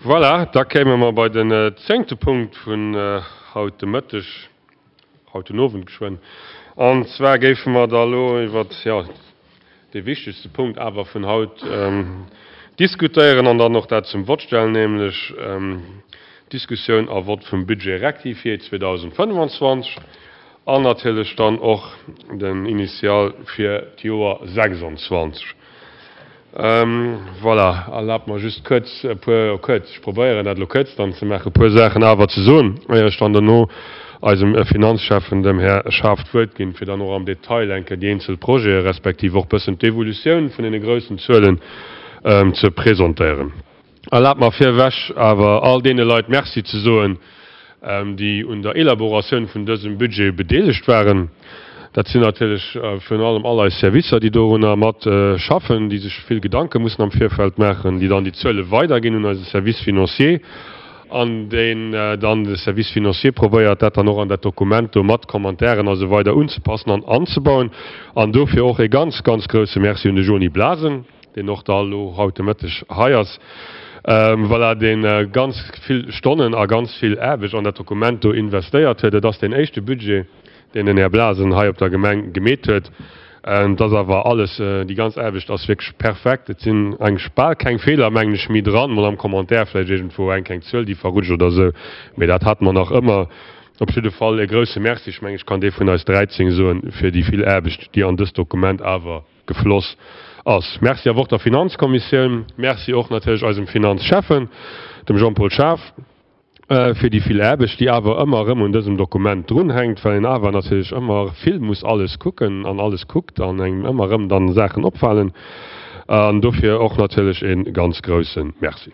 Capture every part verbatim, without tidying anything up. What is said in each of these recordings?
Voilà, da kéime mer bei den zéngte Punkt vun haut de Mëtteg, haut den Owend geschwënn. An zwar géife mer da elo iwwert, jo, dee wichtegste Punkt awer vun haut diskutéieren an dann och dat zum Vott stellen, nämlech d'Diskussioun a Vott vum Budget rectifié zweedausendfënnwanzwanzeg an natierlech dann och den Initial fir d'Joer sechsundzwanzeg. Voilà, erlaabt mer just kuerz e puer, kuerz, ech probéieren dat elo kuerz dann ze maachen, e puer Saachen awer ze soen, éier ech dann dono eisem Finanzschäffen, dem Här Schaaf, d'Wuert ginn, fir dann och am Detail eng Kéier déi eenzel Projete respektiv och bëssen d'Evolutioun vun deene groussen Zuelen ze presentéieren. Erlaabt mer virewech awer all deene Leit Merci ze soen, déi un der Elaboratioun vun dësem Budget bedeelegt waren. Dat sinn natierlech virun allem all eis Servicer, déi dorunner mat schaffen, déi sech vill Gedanke mussen am Virfeld maachen, déi dann déi Zuele weiderginn un eise Service financier an deen dann, de Service financier, probéiert, dat dann och an dat Dokument do mat Commentairen a sou weider unzepassen an anzebauen. An dofir och e ganz, ganz grouse Merci un de Jony Blasen, deen och da elo haut de Mëtteg hei ass, voilà, dee ganz vill Stonnen a ganz vill Aarbecht an dat Dokument do investéiert huet. Et ass deen éischte Budget, deen den Här Blasen hei op der Gemeng gemeet huet. Et ass awer alles, déi ganz Aarbecht ass wierklech perfekt. Et sinn eigentlech bal keng Feeler, mengen ech, méi dran, mol am Commentaire vläicht iergendwou eng kleng Zuel, déi verrutscht oder esou, mee dat hate mer nach ëmmer. Op jidde Fall e grouse Merci, ech mengen, ech kann dee vun eis dräizéng soen, fir déi vill Aarbecht, déi an dëst Dokument awer gefloss ass. Merci awer och der Finanzkommissioun, Merci och natierlech eisem Finanzschäffen, dem Jean-Paul Schaaf, fir déi vill Aarbecht, déi awer ëmmer erëm un dësem Dokument drunhänkt, well een awer natierlech ëmmer vill muss alles kucken an alles kuckt an engem ëmmer erëm dann Saachen opfalen. An dofir och natierlech e ganz grouse Merci.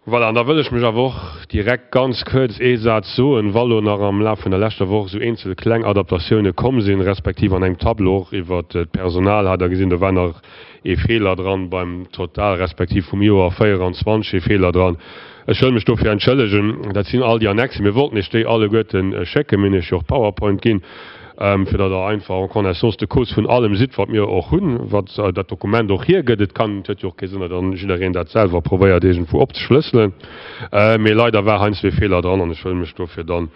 Voilà, an da wëll ech mech awer och direkt ganz kuerz ee Saz soen, wa lo nach am Laf vun der leschter Woch esou eenzel kleng Adaptatioune komm sinn, respektiv an engem Tableau och iwwert d'Personal, hat Der gesinn, do war nach ee Feeler dran beim Total, respektiv vum Joer véieranzwanzeg ee Feeler dran. Ech wëll mech dofir entschëllegen. Dat sinn all déi Annexen. Mir wollten Iech déi alleguerte schécken. Mir hunn Iech jo och d'PowerPoint ginn, fir datt Der einfach en connaissance de cause vun allem sidd, wat mir och hunn, wat dat Dokument och hiergëtt. Et kann, et huet jo och kee Sënn, datt dann jiddereen dat selwer probéiert iergendwou opzeschlësselen. Mee leider war heiansdo ee Feeler dran an ech wëll mech dofir dann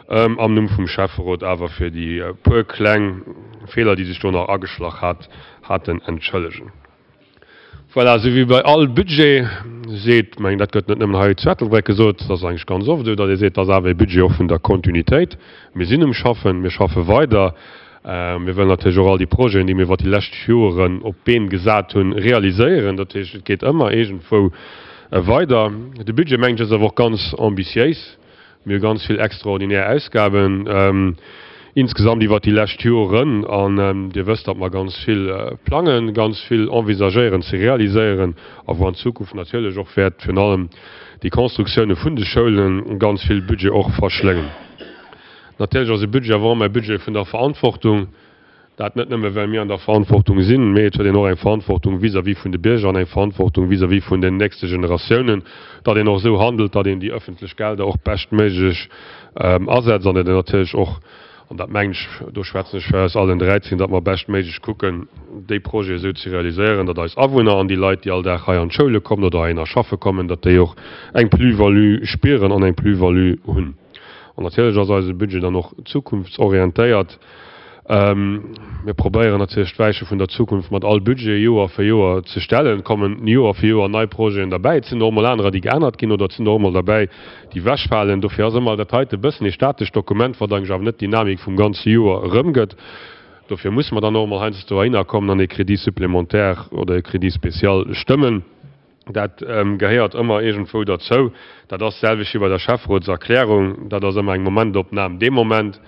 am Numm vum Schäfferot awer fir déi puer kleng Feeler, déi sech do nach ageschlach hat, haten, entschëllegen. Voilà, esou wéi bei all Budget seet, mengen, dat gëtt net nëmmen hei zu Ettelbréck gesot, dat ass eigentlech ganz oft esou, datt ee seet, dat ass awer ee Budget och vun der Kontinuitéit. Mir sinn um Schaffen, mir schaffe weider. Mir wëllen natierlech och all déi Projeten, déi mir iwwert déi lescht Joren op d'Been gesat hunn, realiséieren. Dat heescht, et geet ëmmer iergendwou weider. De Budget, mengen ech, ass awer och ganz ambitiéis. Mir hu ganz vill extraordinär Ausgaben insgesamt iwwert déi lescht Joren. An Dir wësst, datt mer ganz vill plangen, ganz vill envisagéieren ze realiséieren a wou an Zukunft natierlech och wäert virun allem déi Constructioune vun de Schoulen ganz vill Budget och verschléngen. Natierlech ass e Budget awer och ëmmer e Budget vun der Verantwortung. Dat net nëmme well mir an der Verantwortung sinn, mee et huet een och eng Verantwortung vis-à-vis vun de Bierger an eng Verantwortung vis-à-vis vun den nächste Generatiounen, datt een och esou handelt, datt een déi ëffentlech Gelder och beschtméiglech asetzt an datt een natierlech och, an dat mengen ech, do schwätzen ech fir eis allen dräizéng, datt mer beschtméiglech kucken, déi Projete esou ze realiséieren, datt eis Awunner an déi Leit, déi all Dag hei an d'Schoule kommen oder heihinner schaffe kommen, datt déi och eng Plus-value spieren an eng Plus-value hunn. An natierlech ass eise Budget dann och zukunftsorientéiert. Mir probéieren natierlech d'Weiche vun der Zukunft mat all Budget Joer fir Joer ze stellen. Et kommen Joer fir Joer nei Projeten derbäi. Et sinn och emol anerer, déi geännert ginn oder et sinn och emol derbäi, déi ewechfalen. Dofir ass ëmmer dat heite e bëssen ee statescht Dokument, wat eigentlech awer net d'Dynamik vum ganze Joer erëmgëtt. Dofir musse mer dann och emol heiansdo dohinner kommen an ee Crédit supplémentaire oder ee Crédit spécial stëmmen. Dat gehéiert ëmmer iergendwou derzou. Dat ass d'selwecht wéi bei der Schäfferotserklärung. Dat ass ëmmer eng Momentopnam dee Moment.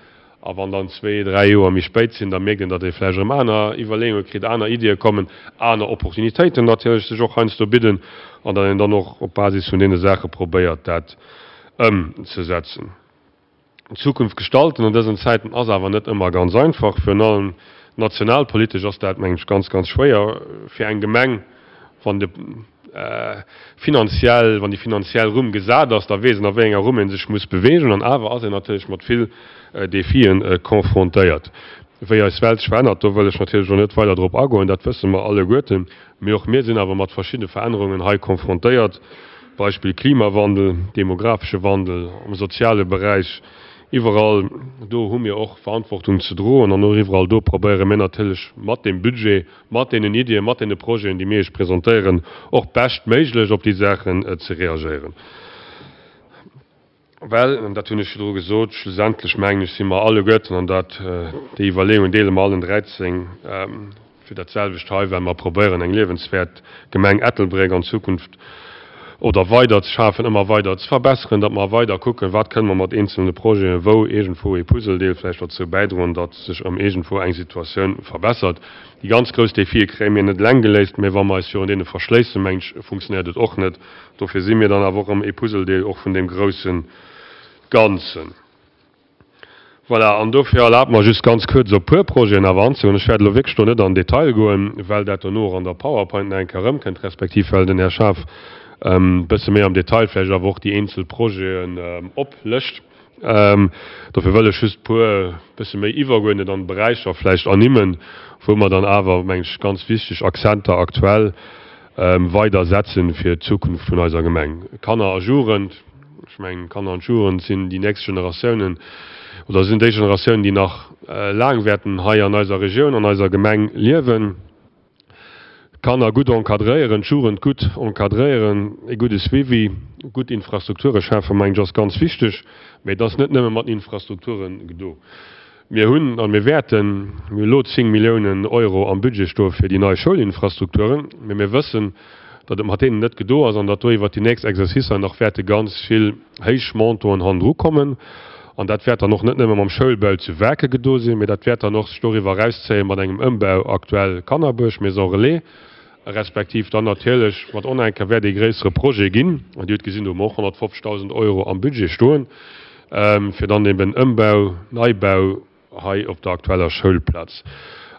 A wann dann zwee, dräi Joer méi spéit sinn, da mierkt een, datt ee vläicht erëm aner Iwwerleeunge kritt, aner Iddie kommen, aner Opportunitéiten natierlech sech och heiansdo bidden an datt een dann och op Basis vun deene Saache probéiert, dat ëmzesetzen. D'Zukunft gestalten an dësen Zäiten ass awer net ëmmer ganz einfach. Virun allem nationalpolitesch ass dat, mengen ech, ganz, ganz schwéier fir eng Gemeng, wann de finanziell, wann déi finanziell Rumm gesat ass, da weess een, a wéi enger Rumm ee sech muss beweegen. An awer ass een natierlech mat vill Defien confrontéiert. Wéi eis Welt sech verännert, do wëll ech natierlech elo net weider drop agoen, dat wësse mer alleguerten. Mee och mir sinn awer mat verschiddene Verännerungen hei confrontéiert. Beispill Klimawandel, demografesche Wandel, am soziale Beräich, iwwerall do hu mir och Verantwortung ze droen an och iwwerall do probéiere mir natierlech mat deem Budget, mat deenen Iddien, mat deene Projeten, déi mir Iech presentéieren, och beschtméiglech op déi Saachen ze reagéieren. Well, an dat hunn ech virdru gesot, schlussendlech mengen ech si mer alleguerten, an dat, déi Iwwerleeungen deele mer allen dräizéng, fir dat selwecht hei, well mer probéieren eng liewenswäert Gemeng Ettelbréck an Zukunft oder weider ze schafen, ëmmer weider ze verbesseren, datt mer weider kucken, wat kënne mer mat eenzelne Projeten, wou iergendwou ee Puzzledeel vläicht dozou bäidroen, datt sech erëm iergendwou eng Situatioun verbessert. Déi ganz grouss Defie kréie mir net eleng geléist, mä wa mer eis virun deene verschléissen, mengen ech, funktionéiert et och net. Dofir si mir dann awer och erëm ee Puzzledeel och vun deem grousse Ganzen. Voilà, an dofir erlaabt mer just ganz kuerz op e puer Projeten awer anzegoen. Ech wäert elo wierklech do net an den Detail goen, well dat dono och an der PowerPoint nach eng Kéier erëmkënnt, respektiv well den Här Schaaf e bësse méi am Detail vläicht awer och déi eenzel Projeten oplëscht. Dofir wëll ech just e puer bësse méi iwwergeuerdnet an Beräicher vläicht ernimmen, wou mer dann awer, mengen ech, ganz wichteg Akzenter aktuell weider setzen fir d'Zukunft vun eiser Gemeng. Kanner a Jugend, ech mengen, d'Kanner an d'Jugend sinn déi nächst Generatiounen oder sinn déi Generatiounen, déi nach laang wäerten hei an eiser Regioun, an eiser Gemeng liewen. D'Kanner gutt encadréieren, d'Jugend gutt encadréieren, e gudde Suivi, gutt Infrastrukture schafen, mengen ech, ass ganz wichteg. Mee et ass net nëmme mat den Infrastrukture gedo. Mir hunn a mir wäerten, mir hu elo zéng Milliounen Euro am Budget stoe fir déi nei Schoulinfrastrukturen, mee mir wëssen, datt et mat deenen net gedo ass an datt do iwwert déi nächst Exercicer nach wäerte ganz vill héich Montanten hannendru kommen. An dat wäert dann och net nëmme mam Schoulbau zu Waarke gedo sinn, mee dat wäert dann och sech doriwwer erauszéie mat engem Ëmbau aktuell Kannerbuerg, Maison Relais, respektiv dann natierlech mat Onenker wäert ee gréissere Projet ginn. An Dir hutt gesinn, do hu mer och honnertfofzegdausend Euro am Budget stoen, fir dann eben Ëmbau, Neibau hei op der aktueller Schoulplaz.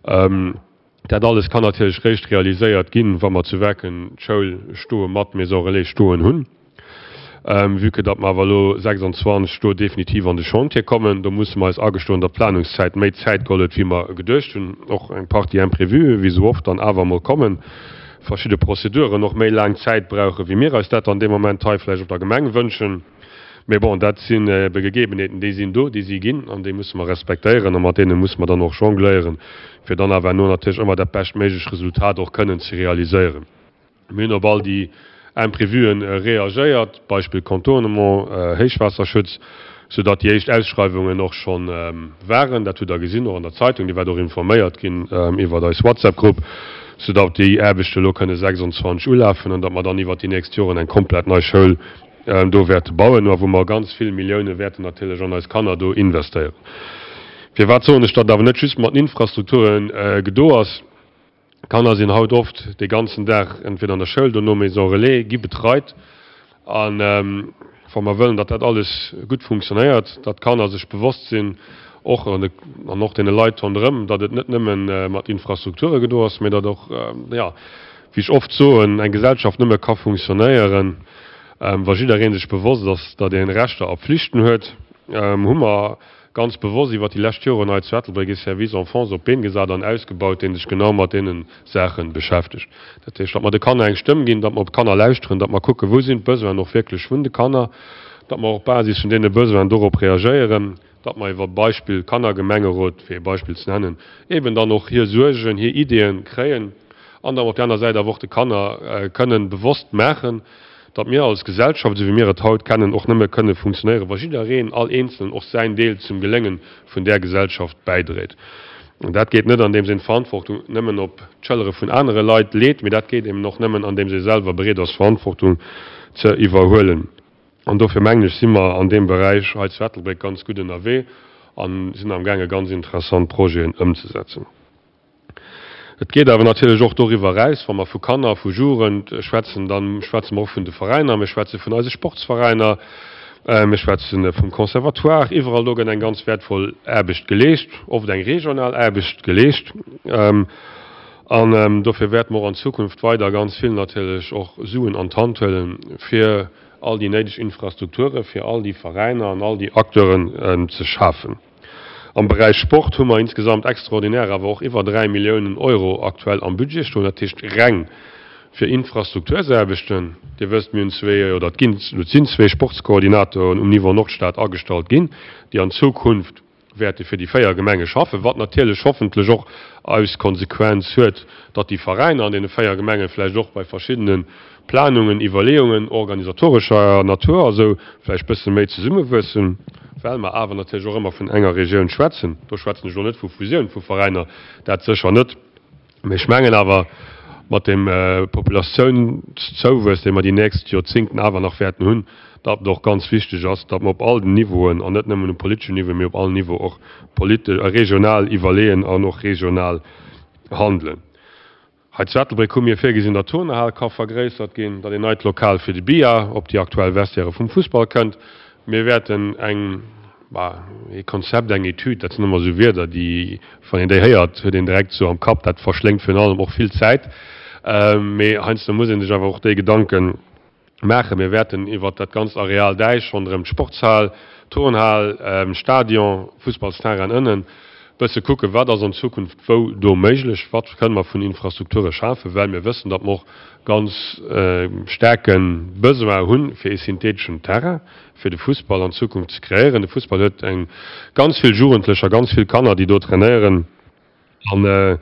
Dat alles kann natierlech réischt realiséiert ginn, wa mer zu Werken d'Schoul stoe mat Maison Relais stoen hunn. Vue que datt mer awer elo sechsanzwanzeg do definitiv an de Chantier kommen, do musse mer eis agestoen, datt d'Planungszäit méi Zäit geholl huet, wéi mer geduecht hunn. Och eng Partie Imprévuen, wéi esou oft, dann awer emol kommen, verschidde Prozeduren och méi laang Zäit brauchen, wéi mir eis dat an deem Moment hei vläicht op der Gemeng wënschen. Mee bon, dat sinn ebe Gegebenheeten, déi sinn do, déi si ginn an déi musse mer respektéieren a mat deene musse mer dann och jongléieren, fir dann awer herno natierlech ëmmer dat beschtméiglech Resultat och kënnen ze realiséieren. Mir hunn op all déi Imprévuen reagéiert, Beispill Contournement, Héichwaasserschutz, soudatt déi éischt Ausschreiwungen och scho waren. Dat hutt Der gesinn och an der Zeitung, Dir waart och informéiert ginn iwwert eis WhatsApp-Grupp, soudatt déi Aarbechte elo kënne sechsandzwanzeg ulafen an datt mer dann iwwert déi nächst Joren eng komplett nei Schoul do wäerte bauen a wou mer ganz vill Millioune wäerten natierlech an eis Kanner do investéieren. Firwat soen ech, datt et awer net just mat den Infrastrukture gedo ass? D'Kanner sinn haut oft de ganzen Dag entweder an der Schoul, dono Maison Relais, gi betreit. A wa mer wëllen, datt dat alles gutt funktionéiert, datt d'Kanner sech bewosst sinn, och an och deene Leit ronderëm, datt et net nëmme mat Infrastrukture gedo ass, mä datt och, jo, wéi ech oft soen, eng Gesellschaft nëmme ka funktionéieren, wa jidderee sech bewosst ass, datt ee Rechter a Pflichten huet, hu mer ganz bewosst iwwert déi lescht Joren hei zu Ettelbréck ee Service Enfance op d'Been gesat an ausgebaut, dee sech genau mat deene Saache beschäftegt. Dat heescht, datt mer de Kanner eng Stëmm ginn, datt mer op d'Kanner lauschteren, datt mer kucken, wou sinn d'Besoinen och wierklech vun de Kanner, datt mer och op Basis vun deene Besoinen dorop reagéieren, datt mer iwwer Beispill Kannergemengerot, fir ee Beispill ze nennen, eeben dann och hir Suergen, hir Ideeën kréien an datt mer op där aner Säit awer och de Kanner kënnen bewosst maachen, datt mir als Gesellschaft, esou wéi mir et haut kennen, och nëmme kënne funktionéieren, wa jiddereen, all Eenzelen och säin Deel zum Gelénge vun där Gesellschaft bäidréit. An dat geet net, andeems een d'Verantwortung nëmmen op d'Schëllere vun anere Leit leet, mee dat geet eben och nëmmen, andeems ee selwer bereet ass, Verantwortung ze iwwerhuelen. An dofir mengen ech, si mer an deem Beräich hei zu Ettelbréck ganz gutt ënnerwee a sinn amgaange ganz interessant Projeten ëmzesetzen. Et geet awer natierlech och doriwwer eraus, wa mer vu Kanner, vu Jugend schwätzen, da schwätze mer och vun de Veräiner, mir schwätze vun eise Sportsveräiner, mir schwätze vum Conservatoire. Iwwerall do gëtt eng ganz wäertvoll Aarbecht geleescht, oft eng regional Aarbecht geleescht. An dofir wäerte mer och an Zukunft weider ganz vill natierlech och Suen an d'Hand huelen, fir all déi néideg Infrastrukture fir all déi Veräiner an all déi Acteuren ze schafen. Am Beräich Sport hu mer insgesamt extraordinär awer och iwwer dräi Milliounen Euro aktuell am Budget stoen, dat heescht reng fir Infrastruktursaarbechten. Dir wësst, mir hunn zwee, oder et ginn, et sinn zwee Sportskoordinatoren um Niveau Nordstad agestallt ginn, déi an Zukunft wäerte fir déi véier Gemenge schaffen, wat natierlech hoffentlech och als Konsequenz huet, datt déi Veräiner an deene véier Gemenge vläicht och bei verschiddene Planungen, Iwwerleeungen organisatorescher Natur a sou vläicht bësse méi zesummewuessen, well mer awer natierlech och ëmmer vun enger Regioun schwätzen. Do schwätzen ech elo net vu Fusioun vu Veräiner, dat sécher net. Mee ech mengen awer, mat deem Populatiounszouwuess, dee mer déi nächst Joerzingten awer nach wäerten hunn, datt et och ganz wichteg ass, datt mer op all den Niveauen, an net nëmmen um politeschen Niveau, mee op allen Niveau och politesch a regional iwwerleeën an och regional handelen. Hei zu Ettelbréck hu mir virgesinn, datt d'Turnhal ka vergréissert ginn, datt een neit Lokal fir de Billard op déi aktuell Vestiairë vum Fussball kënnt. Mir wäerten eng, bah, ee Konzept, eng Etüd, dat sinn ëmmer esou Wierder, déi, wann een déi héiert, huet een direkt esou am Kapp, dat verschléngt virun allem och vill Zäit. Mee heiansdo muss ee sech awer och déi Gedanke maachen. Mir wäerten iwwert dat ganzt Areal Däich ronderëm d'Sportshal, Turnhal, Stadion, Fussballsterrain ënnen, bësse kucken, wat ass an Zukunft wou do méiglech, wat kënne mer vun Infrastrukture schafen, well mir wëssen, datt mer och ganz staarke Besoin hunn, fir ee syntheteschen Terrain fir de Fussball an Zukunft ze kreéieren. De Fussball huet eng ganz vill Jugendlecher, ganz vill Kanner, déi do trainéieren. An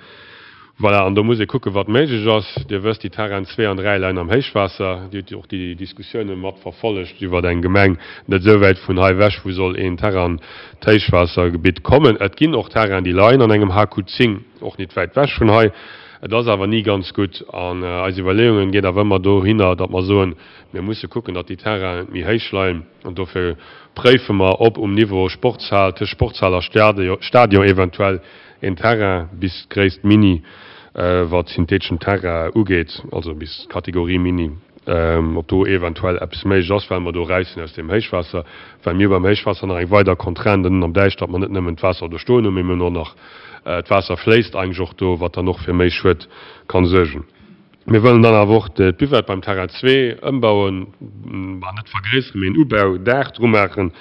voilà, an do muss ee kucken, wat méiglech ass. Dir wësst, déi Terrainen zwee an dräi leien am Héichwaasser. Dir hutt och déi Diskussioune mat verfollegt iwwer eng Gemeng net esou wäit vun hei ewech, wou soll een Terrain an d'Héichwaassergebitt kommen. Et ginn och Terrainen, déi leien an engem H Q zéng, och nit wäit ewech vun hei. Et ass awer ni ganz gutt. An eis Iwwerleeungen geet awer ëmmer dohinner, datt mer soen, mir musse kucken, datt déi Terrainen méi héich leien. An dofir préife mer, ob um Niveau Sportshal, tëscht Sportshal a Stadion eventuell een Terrain bis d'Gréisst Mini, wat syntheteschen Terrain ugeet, also bis d'Kategorie Mini, ob do eventuell eppes méiglech ass, well mer do eraus sinn aus deem Héichwaasser, well mir hu beim Héichwaasser nach eng weider Contrainte ënnen am Däich, datt mer net nëmmen d'Waasser do stoen hunn, mee mir hunn och nach, d'Waasser fléisst eigentlech och do, wat dann och fir méi Schued kann suergen. Mir wëllen dann awer och d'Buvette beim Terrain zwee ëmbauen, bah, net vergréisseren, mee en Ubaudaach dru maachen,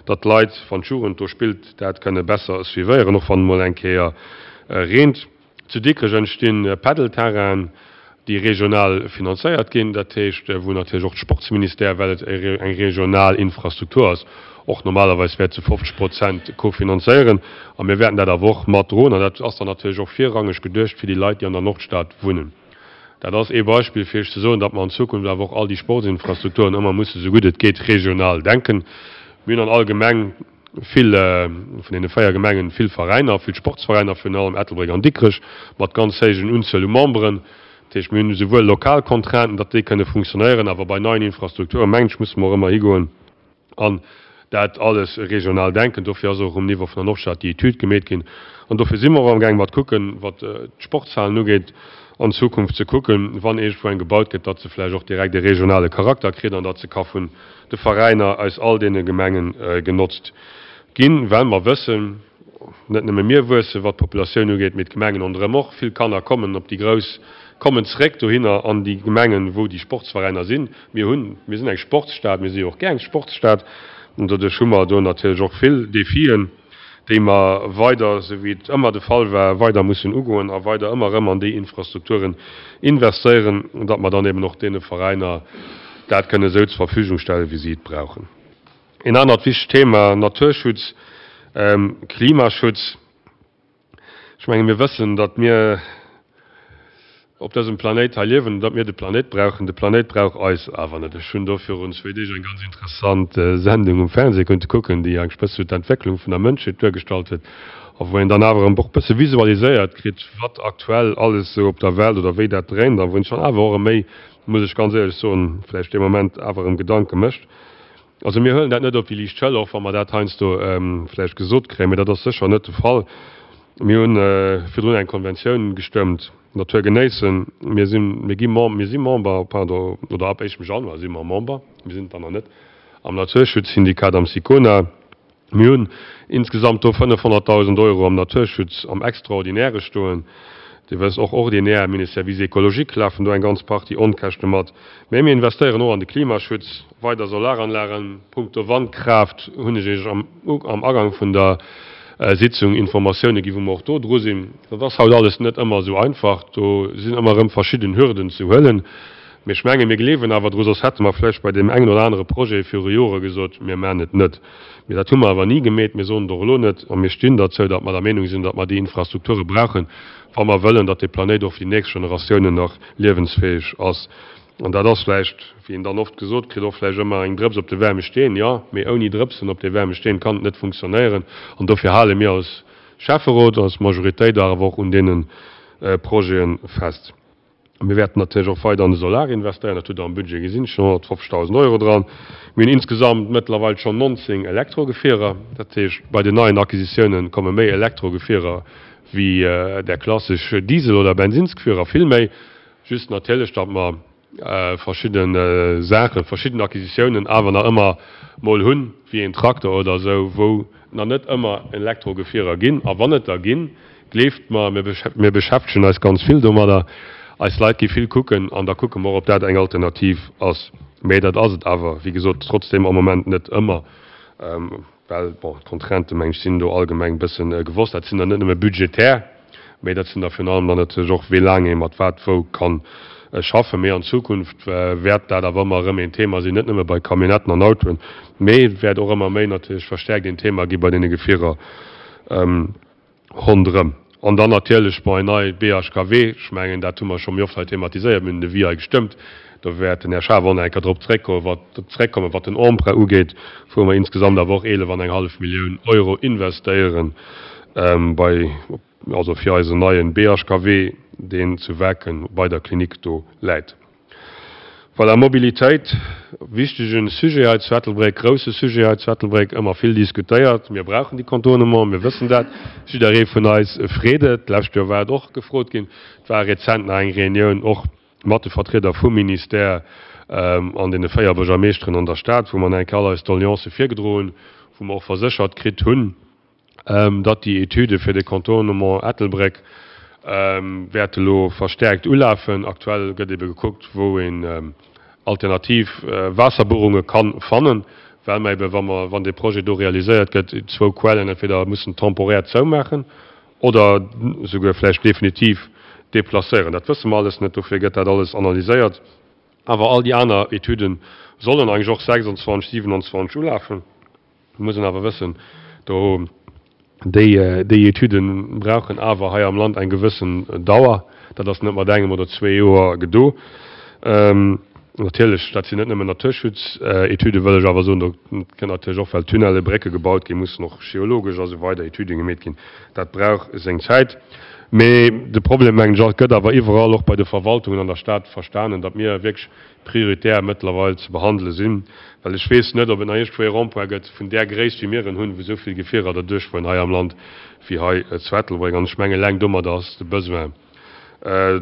datt d'Leit, wann d'Jugend do spillt, dat kënne besser suivéieren, och wann et mol eng Kéier reent. Zu Dikrech entsti Padel-Terrainen, déi regional finanzéiert ginn, dat heescht, wou natierlech och de Sportsministère, well et eng regional Infrastruktur ass, och normalerweis wäert zu fofzeg Prozent kofinanzéieren. A mir wäerten dat awer och matdroen. An dat ass dann natierlech och virrangeg geduecht fir déi Leit, déi an der Nordstad wunnen. Dat ass ee Beispill, fir Iech ze soen, datt mer an Zukunft awer och all déi Sportsinfrastrukturen ëmmer musse sou gutt et geet regional denken. Mir hunn an all Gemeng vill, vun deene véier Gemengen, vill Veräiner, vill Sportsveräiner, virun allem Ettelbréck an Dikrech, mat ganz héijen Unzuel u Memberen. Dat heescht, mir hunn esouwuel lokal Contrainten, datt déi kënne funktionéieren, awer bei neien Infrastrukturen, mengen ech, musse mer och ëmmer higoen an dat alles regional denken. Dofir ass och um Niveau vun der Nordstad déi Etüd gemeet ginn. An dofir si mer och amgaang mat kucken, wat d'Sportshalen ugeet, an Zukunft ze kucken, wann iergendwou eng gebaut gëtt, datt se vläicht och direkt e regionale Charakter kritt an datt se ka vun de Veräiner aus all deene Gemenge genotzt ginn, well mer wëssen, net nëmme mir wuessen, wat d'Populatioun ugeet, mee d'Gemengen ronderëm och. Vill Kanner kommen op déi grouss, kommen zréck dohinner an déi Gemengen, wou déi Sportsveräiner sinn. Mir hunn, mir sinn eng Sportsstad, mir si jo och gär eng Sportsstad an doduerch hu mer do natierlech och vill Defien, déi mer weider, esou wéi et ëmmer de Fall war, weider mussen ugoen a weider ëmmer erëm an déi Infrastrukturen investéieren, datt mer dann eben och deene Veräiner dat kënne esou zur Verfügung stellen, wéi si et brauchen. Een anert wichtegt Thema, Naturschutz, Klimaschutz. Ech menge mir wëssen, datt mir op dësem Planéit hei liewen, datt mir de Planéit brauchen. De Planéit brauch eis awer net. Ech hunn do virun zwee Deeg eng ganz interessant Sendung um Fernseh konnte kucken, déi eigentlech bësse sou d'Entwécklung vun der Mënschheet duergestallt huet a wou een dann awer erëm och bësse visualiséiert kritt, wat aktuell alles sou op der Welt oder wéi dat dréint a wou een sech dann awer och erëm méi, muss ech ganz éierlech soen, vläicht dee Moment awer erëm Gedanke mécht. Also mir huelen dat net op déi liicht Schëller, och wa mer dat heiansdo vläicht gesot kréien, mee dat ass sécher net de Fall. Mir hu virdrun eng Konventioun gestëmmt, Natur genéissen. Mir sinn, mir gi Mem, mir si Member, pardon, oder ab éischtem Januar si mer Member, mir sinn et dann nach net, am Naturschutzsyndikat, am SICONA. Mir hunn insgesamt do fënnefhonnertdausend Euro am Naturschutz am Extraordinäre stoen. Dir wësst, och ordinär, mir hunn e Service écologique, lafen do eng ganz Partie Onkäschte mat. Mä mir investéieren och an de Klimaschutz, weider Solaranlagen, punkto Wandkraaft hunn ech Iech am Agang vun der Sitzung Informatioune ginn, wou mer och do dru sinn. Dat ass haut alles net ëmmer esou einfach. Do sinn ëmmer erëm verschidden Hürden ze huelen. Mee ech mengen, mir gleewen awer dru, soss hätte mer vläicht bei deem engen oder anere Projet viru Jore gesot, mir maachen et net. Mee dat hu mer awer ni gemeet. Mir soen et och elo net. A mir stinn derzou, datt mer der Meenung sinn, datt mer déi Infrastrukture brauchen, wa mer wëllen, datt dee Planéit och fir déi nächst Generatiounen nach liewensfäeg ass. An dat ass vläicht, wéi een dann oft gesot kritt, och vläicht ëmmer eng Drëps op de waarme Steen. Jo, mee ouni Drëpsen op dee waarme Steen kann et net funktionéieren. An dofir hale mir als Schäfferot, als Majoritéit awer och un deene Projete fest. Mir wäerten natierlech och weider an de Solar investéieren. Dat hutt Der am Budget gesinn, et stinn honnertfofzegdausend Euro dran. Mir hunn insgesamt mëttlerweil schonn nonzéng Elektrogefierer. Dat heescht, bei den neien Acquisitiounen komme méi Elektrogefierer wéi där klassesch Diesel oder Bensinnsgefierer, vill méi. Just natierlech, datt mer verschidde Saachen, verschidden Acquisitiounen awer nach ëmmer mol hunn, wéi een Trakter oder esou, wou nach net ëmmer Elektrogefierer ginn. A wann et der ginn, gleeft mer, mir beschäftegen eis ganz vill domadder, eis Leit gi vill kucken an da kucke mer och, ob dat eng Alternativ ass. Mee dat ass et awer, wéi gesot, trotzdeem am Moment net ëmmer. Well, bon, d'Contrainten, meng ech, sinn do allgemeng e bësse gewosst. Dat sinn der net nëmme budgetär, mee dat sinn der virun allem dann natierlech och, wéi laang ee mat wat wou ka schaffen. Mee an Zukunft wäert dat awer ëmmer erëm een Thema sinn, net nëmme bei Camionnetten an Autoen, mee et wäert och ëmmer méi natierlech verstärkt een Thema gi bei deene Gefierer ronderëm. An dann natierlech, bon, en nei B H K W, ech mengen, dat hu mer scho méi oft hei thematiséiert, mir hunn den Devis hei gestëmmt, do wäert den Här Schaaf och nach eng Kéier drop zréckkommen, wat zréckkommen, wat den Emprunt ugeet, wou mer insgesamt awer och eelef an eng hallef Millioun Euro investéieren bei, also fir eisen neien B H K W, deen zu Waarken bei der Klinik do läit. Voilà, Mobilitéit, wichtege Sujet hei zu Ettelbréck, grousse Sujet hei zu Ettelbréck, ëmmer vill diskutéiert. Mir brauchen déi Contournement, mir wëssen dat. Jidderee vun eis freet et. D'lescht Joer war et och gefrot ginn. Et war rezent nach eng Reunioun och mat de Vertrieder vum Ministère an deene véier Buergermeeschteren an der Stad, wou mer nach eng Kéier all eis Doleancë virgedroen hunn, wou mer och verséchert kritt hunn, datt déi Etüde fir de Contournement Ettelbréck wäerte elo verstärkt ulafen. Aktuell gëtt ebe gekuckt, wou een alternativ Waasserbuerunge kann fannen, well mer ebe, wa mer, wann dee Projet do realiséiert gëtt, zwou Quellen entweder mussen temporär zoumaachen oder souguer vläicht definitiv deplacéieren. Dat wësse mer alles net, dofir gëtt dat alles analyséiert. Awer all déi aner Etüde sollen eigentlech och sechsundzwanzeg, siewenundzwanzeg ulafen. Et muss een awer wëssen, do déi, déi Etüde brauchen awer hei am Land eng gewëssen Dauer. Dat ass net mat engem oder zwee Joer gedo. Natierlech, dat sinn net nëmmen Naturschutzetüden, wëll ech awer soen, do kënnt natierlech och, well Tunnelle, Brécke gebaut ginn, mussen och geologesch a sou weider Etüde gemeet ginn. Dat brauch seng Zäit. Mee de Problem, mengen ech, gëtt awer iwwerall, och bei de Verwaltungen an der Stad, verstanen, datt mir wierklech prioritär mëttlerweil ze behandele sinn, well ech weess net, ob et nach iergendwou ee Rond-point gëtt vun där Gréisst, wéi mir en hunn, wou esou vill Gefierer derduerchfueren hei am Land wéi hei zu Ettelbréck. An ech mengen, eleng domadder ass de Besoin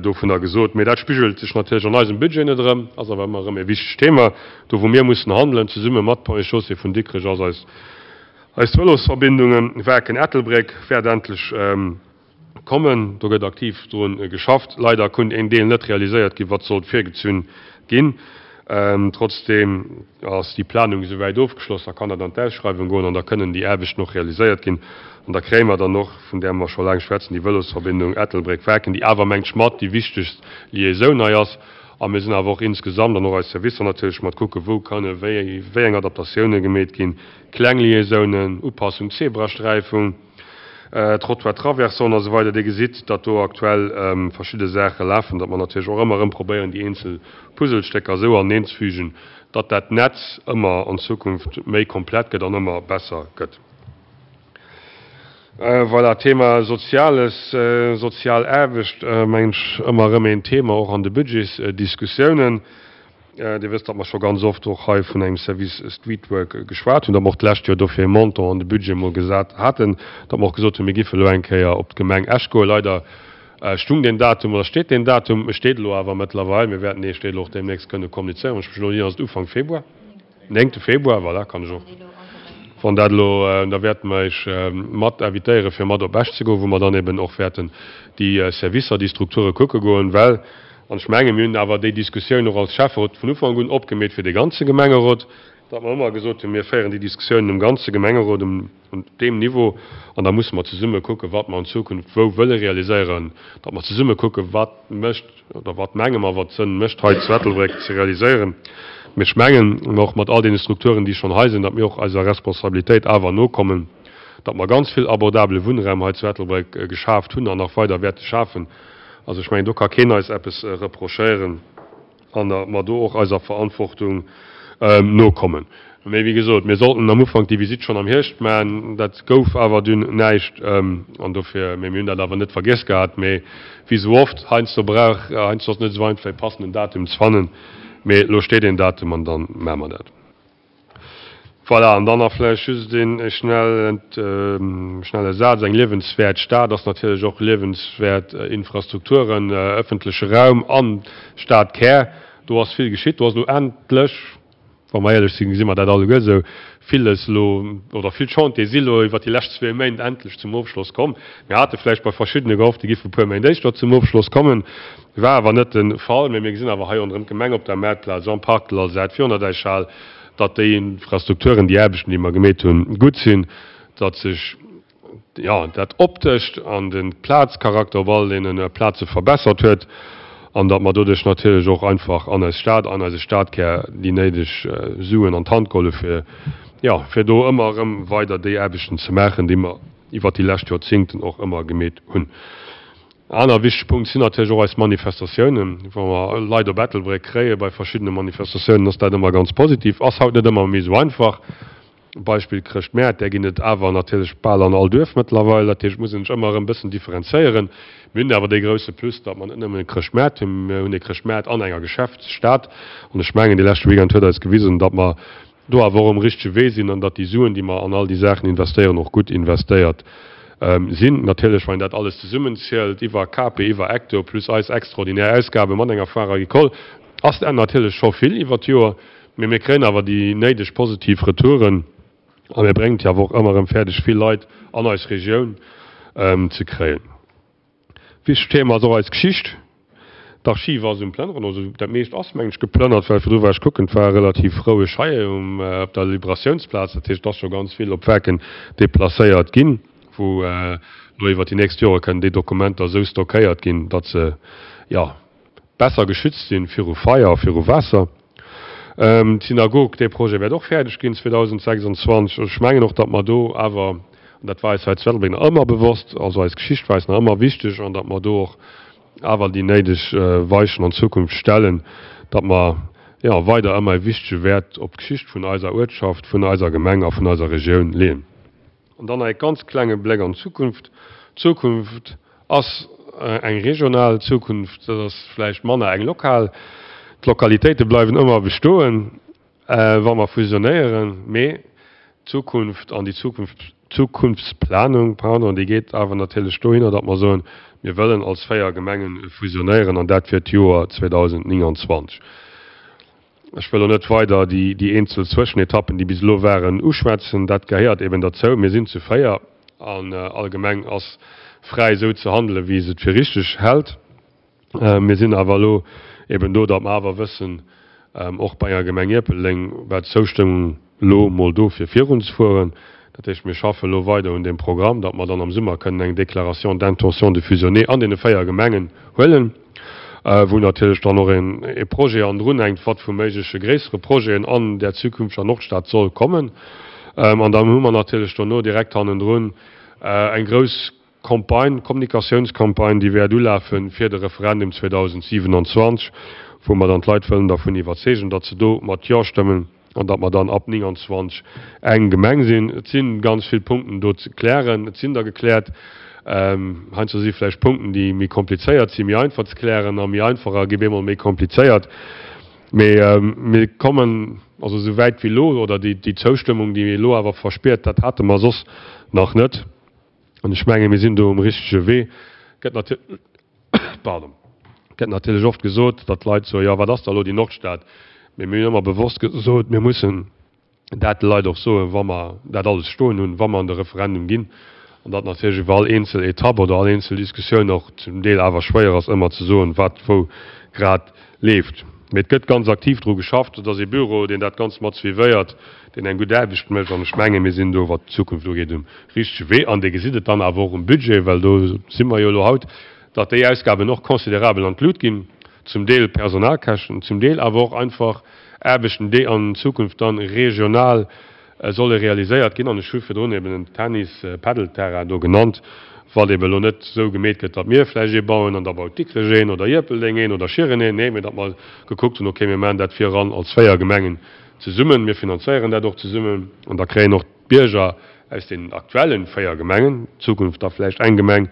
dovunner gesot. Mee dat spigelt sech natierlech an eisem Budget net erëm, ass awer ëmmer erëm e wichtegt Thema. Do wou mir mussen handelen, zesumme mat Ponts et Chaussées vun Dikrech, ass eis eis Vëlosverbindungen. Waarken-Ettelbréck wäert endlech kommen, do gëtt aktiv drun geschafft. Leider konnt een Deel net realiséiert ginn, wat sollt virgezunn ginn. Trotzdeem ass déi Planung esouwäit ofgeschloss, da kann dat an d'Ausschreiwung goen an da kënnen déi Aarbechten och realiséiert ginn. An da kréie mer dann och, vun där mer scho laang schwätzen, déi Vëlosverbindung Ettelbréck-Waarken, déi awer, mengt ech, mat déi wichtegst Liaisoun hei ass. A mir sinn awer och insgesamt, an och eis Servicer natierlech, mat kucken, wou kënne wéi wéi eng Adaptatioune gemeet ginn, kleng Liaisounen, Upassung Zebrasträifung, Trottoir traversant a sou weider. Dir gesitt, datt do aktuell verschidde Saache lafen, datt mer natierlech och ëmmer erëm probéieren, déi eenzel Puzzlestécker esou aneneenzefügen, datt dat Netz ëmmer an Zukunft méi komplett gëtt an ëmmer besser gëtt. Voilà, Thema Soziales, sozial Aarbecht, mengen ech, ëmmer erëm een Thema och an de Budgetsdiskussiounen. Dir wësst, datt mer scho ganz oft och hei vun engem Service Streetwork geschwat hunn, datt mer och d'lescht Joer dofir e Montant an de Budget emol gesat haten, datt mer och gesot hunn, mir géife elo eng Kéier op d'Gemeng Esch goen. Leider stung deen Datum oder steet deen Datum, e steet elo awer mëttlerweil, mir wäerten dee steet elo och deemnächst kënne kommunizéieren. Wann ech mech elo net ieren, ass et Ufank Februar, néngte Februar, voilà, kann ech och, wann dat elo, da wäerte mer Iech mat invitéieren, fir mat op Esch ze goen, wou mer dann eben och wäerten déi Servicer, déi Strukture kucke goen, well, an ech mengen, mir hunn awer déi Diskussioun och als Schäfferot vun Ufank un opgemeet fir de ganze Gemengerot, datt mer ëmmer gesot hunn, mir féieren déi Diskussiounen um ganze Gemengerot, um deem Niveau, an da musse mer zesumme kucken, wat mer an Zukunft wou wëlle realiséieren, datt mer zesumme kucken, wat mécht oder wat menge mer, wat Sënn mécht hei zu Ettelbréck ze realiséieren. Mee ech mengen, och mat all deene Strukturen, déi schonn hei sinn, datt mir och eiser Responsabilitéit awer nokommen, datt mer ganz vill abordabele Wunnraum hei zu Ettelbréck geschaaft hunn an nach weider wäerte schafen. Also ech mengen, do ka keen eis eppes reprochéieren an datt mer do och eiser Verantwortung nokommen. Mee wéi gesot, mir sollten am Ufank déi Visitt schonn am Hierscht maachen, dat gouf awer dunn näischt an dofir, mee mir hunn dat awer net vergiess gehat. Mee wéi esou oft, heiansdo brauch, heiansdo ass et net esou einfach e passenden Datum ze fannen, mee elo steet een Datum an da maache mer dat. Voilà, an dann nach vläicht just een schnelle Saz, Eng liewenswäert Stad ass natierlech och liewenswäert Infrastrukturen, ëffentleche Raum an Stadkär. Do ass vill geschitt, do ass elo endlech, wa mer éierlech sinn, gesi mer dat alleguer esou, villes elo, oder vill Chantiere si elo iwwert déi lescht zwee Méint endlech zum Ofschloss komm. Mir hate vläicht bei verschiddene gehofft, déi géife e puer Méint éischter zum Ofschloss kommen, war awer net de Fall. Mä mir gesinn awer hei ronderëm d'Gemeng, op der Maartplaz, am Parc de l'Alzette, virun der Däichhal, datt déi Infrastrukturen, déi Aarbechten, déi mer gemeet hunn, gutt sinn, datt sech, jo, dat Optescht an de Plazcharakter op all deene Plaze verbessert huet an datt mer doduerch natierlech och einfach an eis Stad, an eise Stadkär déi néideg Suen an d'Hand geholl hu fir, jo, fir do ëmmer erëm weider déi Aarbechten ze maachen, déi mer iwwert déi lescht Joerzingten och ëmmer gemeet hunn. Aner wichteg Punkt sinn natierlech och eis Manifestatiounen. Wa mer Leit op Ettelbréck kréie bei verschiddene Manifestatiounen, ass dat ëmmer ganz positiv. Ass haut net ëmmer méi esou einfach. Beispill Chrëschtmäert, där ginn et awer natierlech bal an all Duerf mëttlerweil. Dat heescht, et muss een sech ëmmer erëm e bëssen differenzéieren. Mir hunn awer dee grousse Plus, datt mer net nëmmen e Chrëschtmäert hunn, mir hunn e Chrëschtmäert an enger Geschäftsstad. An ech mengen, dee leschte Weekend huet eis gewisen, datt mer do awer och um richtege Wee sinn an datt déi Suen, déi mer an all déi Saachen investéieren, och gutt investéiert sinn. Natierlech, wann een dat alles zesummenzielt, iwwer K P, iwwer Ecto plus eis extraordinär Ausgabe mat enger Foire agricole, ass dat natierlech scho vill iwwer d'Joer. Mee mir kréien awer déi néideg positiv Retouren a mir bréngen et jo awer och ëmmer erëm fäerdeg, vill Leit an eis Regioun ze kréien. Wichtegt Thema ass och eis Geschicht. D'Archiv ass um Plënneren, also dat meescht ass, mengen ech, geplënnert, well virdru war ech kucken, et war relativ roueg hei um, op der Liberatiounsplaz. Dat heescht, et ass scho ganz vill op Werken deplacéiert ginn, wou elo iwwer déi nächst Jore kënnen déi Dokumenter esou stockéiert ginn, datt se, jo, besser geschützt sinn viru Feier a viru Waasser. D'Synagog, dee Projet wäert och fäerdeg ginn zweedausendsechsundzwanzeg. Ech mengen och, datt mer do awer, an dat war eis hei zu Ettelbréck nach ëmmer bewosst, also eis Geschicht war eis nach ëmmer wichteg, an datt mer do och awer déi néideg Weichen an Zukunft stellen, datt mer, jo, weider ëmmer e wichtege Wäert op d'Geschicht vun eiser Uertschaft, vun eiser Gemeng a vun eiser Regioun leeën. An dann nach e ganz klenge Bléck an d'Zukunft. D'Zukunft ass eng regional Zukunft, dat ass vläicht manner eng lokal. D'Lokalitéite bleiwen ëmmer bestoen, wa mer fusionéieren, mee d'Zukunft an déi Zukunftsplanung, pardon, déi geet awer natierlech dohinner, datt mer soen, mir wëllen als véier Gemenge fusionéieren an dat fir d'Joer zweedausendnénganzwanzeg. Ech wëll elo net weider déi eenzel Zwëschenetappen, déi bis elo waren, uschwätzen. Dat gehéiert eben derzou. Mir sinn zu véier an all Gemeng ass fräi, esou ze handelen, wéi se et fir richteg hält. Mir sinn awer elo eben do, datt mer awer wëssen, och bei enger Gemeng Ierpeldeng war d'Zoustëmmung elo mol do, fir virunzefueren. Dat heescht, mir schaffen elo weider un deem Programm, datt mer dann am Summer kënnen eng Déclaration d'intention de fusionner an deene véier Gemengen huelen, wou natierlech dann och e Projet hannendrun hänkt, wat vu méigleche gréissere Projeten an där zukünfteger Nordstad soll kommen. An dann hu mer natierlech dono direkt hannendrun eng grouss Campagne, Kommunikatiounscampagne, déi wäert ulafe fir de Referendum zweedausendsiewenundzwanzeg, wou mer dann d'Leit wëllen dervun iwwerzeegen, datt se do mat Jo stëmmen an datt mer dann ab nénganzwanzeg eng Gemeng sinn. Et si ganz vill Punkten do ze klären, et sinn der gekläert. Heiansdo si vläicht Punkten, déi méi komplizéiert sinn, méi einfach ze klären a méi einfacher gi bemol méi komplizéiert. Mee mir kommen also esou wäit wéi elo, oder déi Zoustëmmung, déi ee elo awer verspiert, dat hate mer soss nach net. An ech menge mir sinn do um richtege Wee. Gëtt natierlech oft gesot, datt d'Leit soen, jo wat ass da elo déi Nordstad? Mee mir hunn ëmmer bewosst gesot, mir mussen dat de Leit och soen, wa mer dat alles stoen hunn, wa mer an de Referendum ginn. An datt natierlech iwwer all eenzel Etapp oder all eenzel Diskussioun och zum Deel awer schwéier ass, ëmmer ze soen, wat wou grad leeft. Mee et gëtt ganz aktiv dru geschafft. Et ass ee Büro, deen dat Ganzt mat suivéiert, deen eng gutt Aarbecht mécht. An ech menge mir sinn do, wat d'Zukunft ugeet, um richtege Wee. An Dir gesitt et dann awer och um Budget, well do si mer jo elo haut, datt déi Ausgaben och considerabel an d'Lut ginn, zum Deel Personalkäschten, zum Deel awer och einfach Aarbechten, déi an Zukunft dann regional solle realiséiert ginn. An ech hu virdrun eben den Tennis-Padel-Terrain do genannt, wat eben elo net esou gemeet gëtt, datt mir vläicht ee bauen an da baut Dikrech een oder Ierpeldeng een oder Schieren een. Nee, mee datt mer gekuckt hunn, okay, mir maachen dat viran als véier Gemengen zesummen, mir finanzéieren dat och zesummen an da kréien och d'Bierger aus deenen aktuellen véier Gemengen, Zukunft da vläicht eng Gemeng,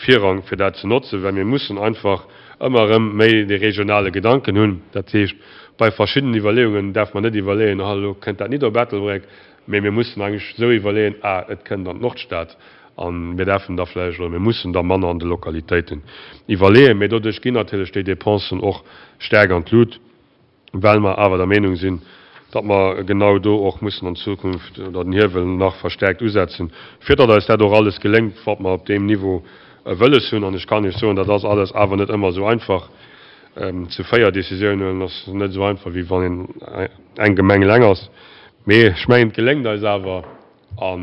Virrang fir dat ze notzen, well mir mussen einfach ëmmer erëm méi dee regionale Gedanken hunn. Dat heescht, bei verschiddenen Iwwerleeungen däerfe mer net iwwerleeën, ah elo kënnt dat nit op Ettelbréck, mee mir mussen eigentlech esou iwwerleeën, ah et kënnt an d'Nordstad a mir däerfen da vläicht oder mir mussen da manner an de Lokalitéiten iwwerleeën. Mee doduerch ginn natierlech déi Dépensen och staark an d'Lut, well mer awer der Meenung sinn, datt mer genau do och mussen an Zukunft oder den Hiewel nach verstärkt usetzen, fir datt eis dat och alles geléngt, wat mer op deem Niveau wëlles hunn. An ech kann Iech soen, dat ass alles awer net ëmmer esou einfach. Zu véier Décisionen huelen ass net esou einfach, wéi wann een eng Gemeng eleng ass. Mee ech mengen, et geléngt eis awer a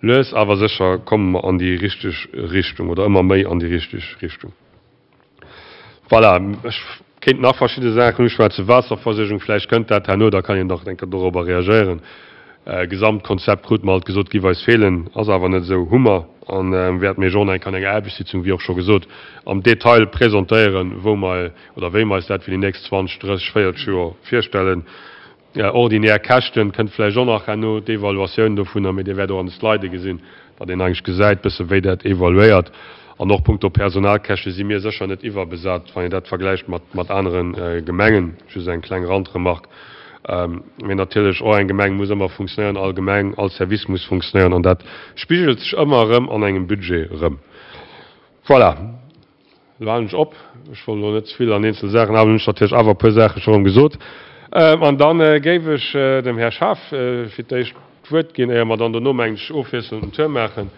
lues awer sécher komme mer an déi richteg Richtung oder ëmmer méi an déi richteg Richtung. Voilà, ech kéint nach verschidde Saachen uschwätzen. Waasserversuergung, vläicht kënnt dat herno, da kann een nach eng Kéier dorobber reagéieren. Gesamtkonzept krute mer alt gesot, giff eis feelen, ass awer net esou, hu mer a wäerte mir och eng Kéier an enger Aarbechtssitzung, wéi och scho gesot, am Detail presentéieren, wou mer oder wéi mer eis dat fir déi nächst zwanzeg, drësseg, véierzeg Joer virstellen. Ordinär Käschten kënnt vläicht och nach herno, d'Evaluatioun dovunner, mee Dir wäert och an de Slide gesinn, datt een eigentlech gesäit bësse wéi dat evaluéiert. An och punkto Personalkäschte si mir sécher net iwwerbesat, wann een dat vergläicht mat mat anere Gemengen. Just eng kleng Randremark. Mee natierlech och eng Gemeng muss ëmmer funktionéieren, all Gemeng, all Service muss funktionéieren an dat spigelt sech ëmmer erëm an engem Budget erëm. Voilà. Elo halen ech op. Ech wollt elo net ze vill an eenzel Saachen, awer hunn ech natierlech awer e puer Saache scho erëm gesot. An da géif ech dem Här Schaaf fir d'éischt d'Wuert ginn, éier mer dann dono, mengen ech, ofwiesselnd den Tour maachen,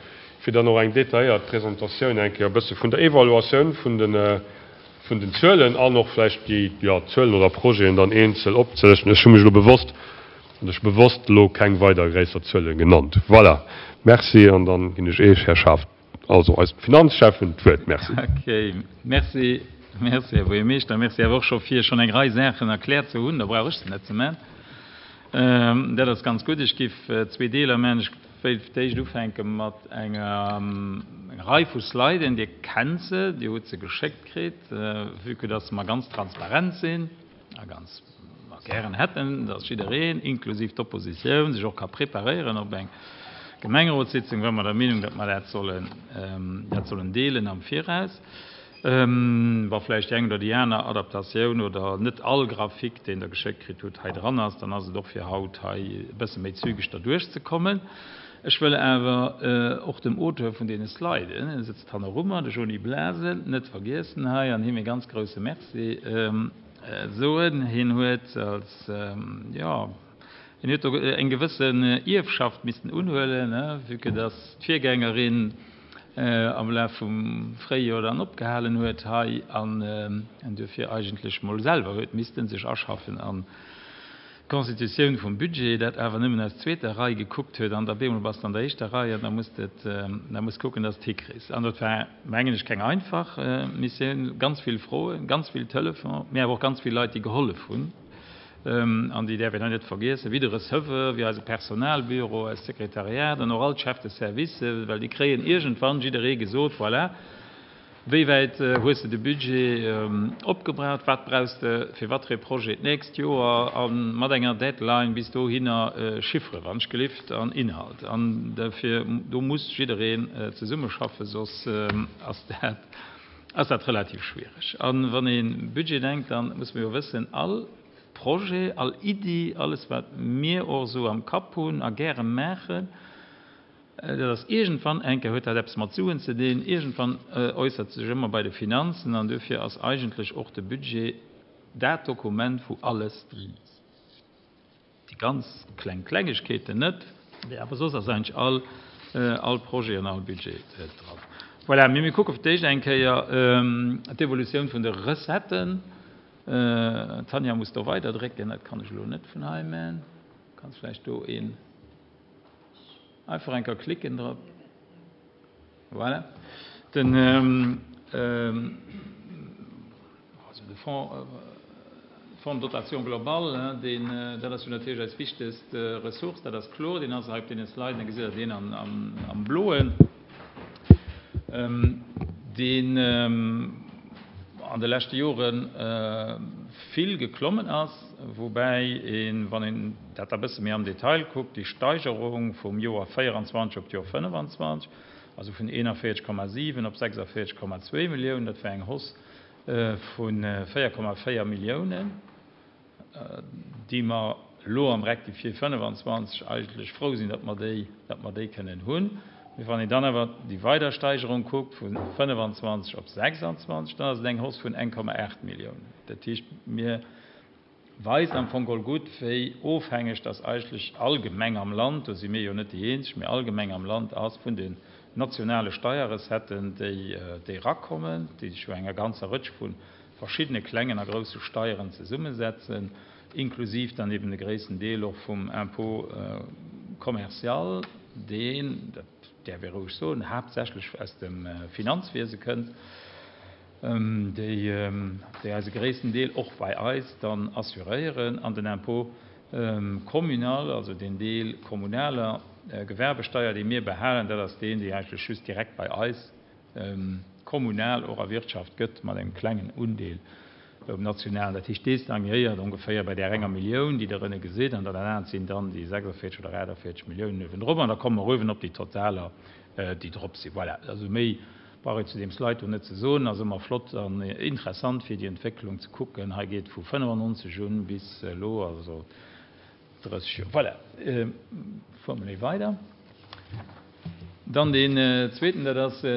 fir dann och eng detailléiert Presentatioun eng Kéier e bësse vun der Evaluatioun vun de vun den Zuelen an och vläicht déi, jo, Zuelen oder Projeten dann eenzel opzelëschten. Ech hu mech elo bewosst, oder ech hu bewosst elo keng weider gréisser Zuele genannt. Voilà. Merci. An dann ginn ech Iech, Här Schaaf, also eisem Finanzschäffen, d'Wuert. Merci. Okay. Merci. Merci, Här Buergermeeschter. Merci awer och scho fir schonn eng Rei Saachen erkläert ze hunn. Da brauch ech se net ze man. Dat ass ganz gutt. Ech géif zwee Deeler maachen. Ech wéilt fir d'éischt ufänke mat enger Rei vu Sliden. Dir kennt se, Dir hutt se geschéckt kritt. Vue que dass mer ganz transparent sinn a ganz gären hätten, dass jiddereen, inklusiv d'Oppositioun, sech och ka preparéieren op eng Gemengerotssitzung, ware mer der Meenung, datt mer dat sollen, dat sollen deelen am Viraus. Wa vläicht déi eng oder déi aner Adaptatioun oder net all Grafik, deen Der geschéckt kritt hutt, hei dran ass, dann ass et och fir haut hei e bësse méi zügeg derduerch ze kommen. Ech wëll awer och dem Auteur vun deene Sliden, e sëtzt hannerummer, de Jony Blase, net vergiessen hei an him e ganz grouse Merci soen. Hien huet als, jo, hien huet do eng gewëssen Ierfschaft missten unhuelen, vue que dass d'Virgängerin am Laf vum Fréijoer dann opgehalen huet hei an en duerfir eigentlech mol selwer huet missten sech aschaffen an d'Constitutioun vum Budget, dat awer nëmmen aus zweeter Rei gekuckt huet an da bemol bass de an der éischter Rei an da muss de et, da muss kucken, dass de et hikriss. An dat war, mengen ech, keng einfach Missioun, ganz vill Froen, ganz vill Telefon, mee awer och ganz vill Leit, déi gehollef hunn. An déi däerf een hei net vergiessen, wéi de Receveur, wéi eise Personalbüro, eist Sekretariat an och all d'Chefs de service, well déi kréien iergendwann jidderee gesot, voilà, wéi wäit hues de de Budget opgebraucht, wat brauchs de fir wat fir ee Projet d'nächst Joer, a mat enger Deadline bis dohinner, Chiffere wann ech gelift an Inhalt. An dofir, do muss jiddereen zesummeschaffen, soss ass dat, ass dat relativ schwiereg. A wann ee Budget denkt, da muss mer jo wëssen, all Projet, all Iddi, alles wat mir och esou am Kapp hunn a gäre maachen, dat ass iergendwann eng Kéier, huet dat eppes mat Suen ze dinn, iergendwann äussert sech ëmmer bei de Finanzen an duerfir ass eigentlech och de Budget dat Dokument, wou alles drin ass. Déi ganz kleng Klengegkeeten net, mee awer soss ass eigentlech all, all Projet an all Budget dran. Voilà, mee mir kucke fir d'éischt eng Kéier d'Evolutioun vun de Recetten. D'Tanja muss do weiderdrécken, dat kann ech elo net vun hei man. Kanns vläicht do een einfach eng Kéier klicken drop. Voilà. Den, also de Fonds, Fonds de dotation globale, deen, dat ass jo natierlech eis wichtegst Ressource, dat ass kloer. Deen ass hei op deene Sliden, da gesitt Der deen am, am, am Bloen. Deen an de leschte Jore vill geklommen ass, woubäi een, wann een dat da bësse méi am Detail kuckt, déi Steigerung vum Joer véieranzwanzeg op d'Joer fënnefanzwanzeg, also vun eenanvéierzeg Komma siwen op sechsundvierzeg Komma zwee Milliounen, dat war eng Hausse vu véier Komma véier Milliounen, déi mer elo am Rectifié fënnefanzwanzeg eigentlech frou sinn, datt mer déi, datt mer déi kënnen hunn. Mee wann een dann awer déi weider Steigerung kuckt vu fënnefanzwanzeg op sechsandzwanzeg, dann ass et eng Hausse vun eng Komma aacht Milliounen. Dat heescht, mir weist am Fong geholl gutt, wéi ofhängeg dass eigentlech all Gemeng am Land, do si mir jo net déi eenzeg, mee all Gemeng am Land ass vun den nationale Steierrecetten, déi, déi erakommen, déi sech jo enger ganzer Rëtsch vu verschiddene klengen a grousse Steieren zesummesetzen, inklusiv dann eben de gréissten Deel och vum Impôt commercial, deen, dat däerf ee roueg soen, haaptsächlech aus dem Finanzwiese kënnt, déi, déi eise gréissten Deel och bei eis dann assuréieren, an den Impôt communal, also deen Deel kommunaler Gewerbesteier, dee mir behalen, dat ass deen, dee eigentlech just direkt bei eis kommunal och erwirtschaft gëtt, mat engem klengen Undeel um nationalen. Dat heescht, dee stagnéiert ongeféier bei där enger Millioun, déi Der ënne gesitt, an dat anert sinn dann déi sechsundvierzeg oder achtundvierzeg Milliounen uewendrop, an da komme mer uewen op déi Totaler, déi drop sinn. Voilà, also méi brauch een zu deem Slide do net ze soen. Ass ëmmer flott an interessant, fir déi Entwécklung ze kucken. Hei geet vu fënnefannonzeg un bis elo, also drësseg Joer. Voilà, fuere mer méi weider. Dann deen zweeten, dat ass e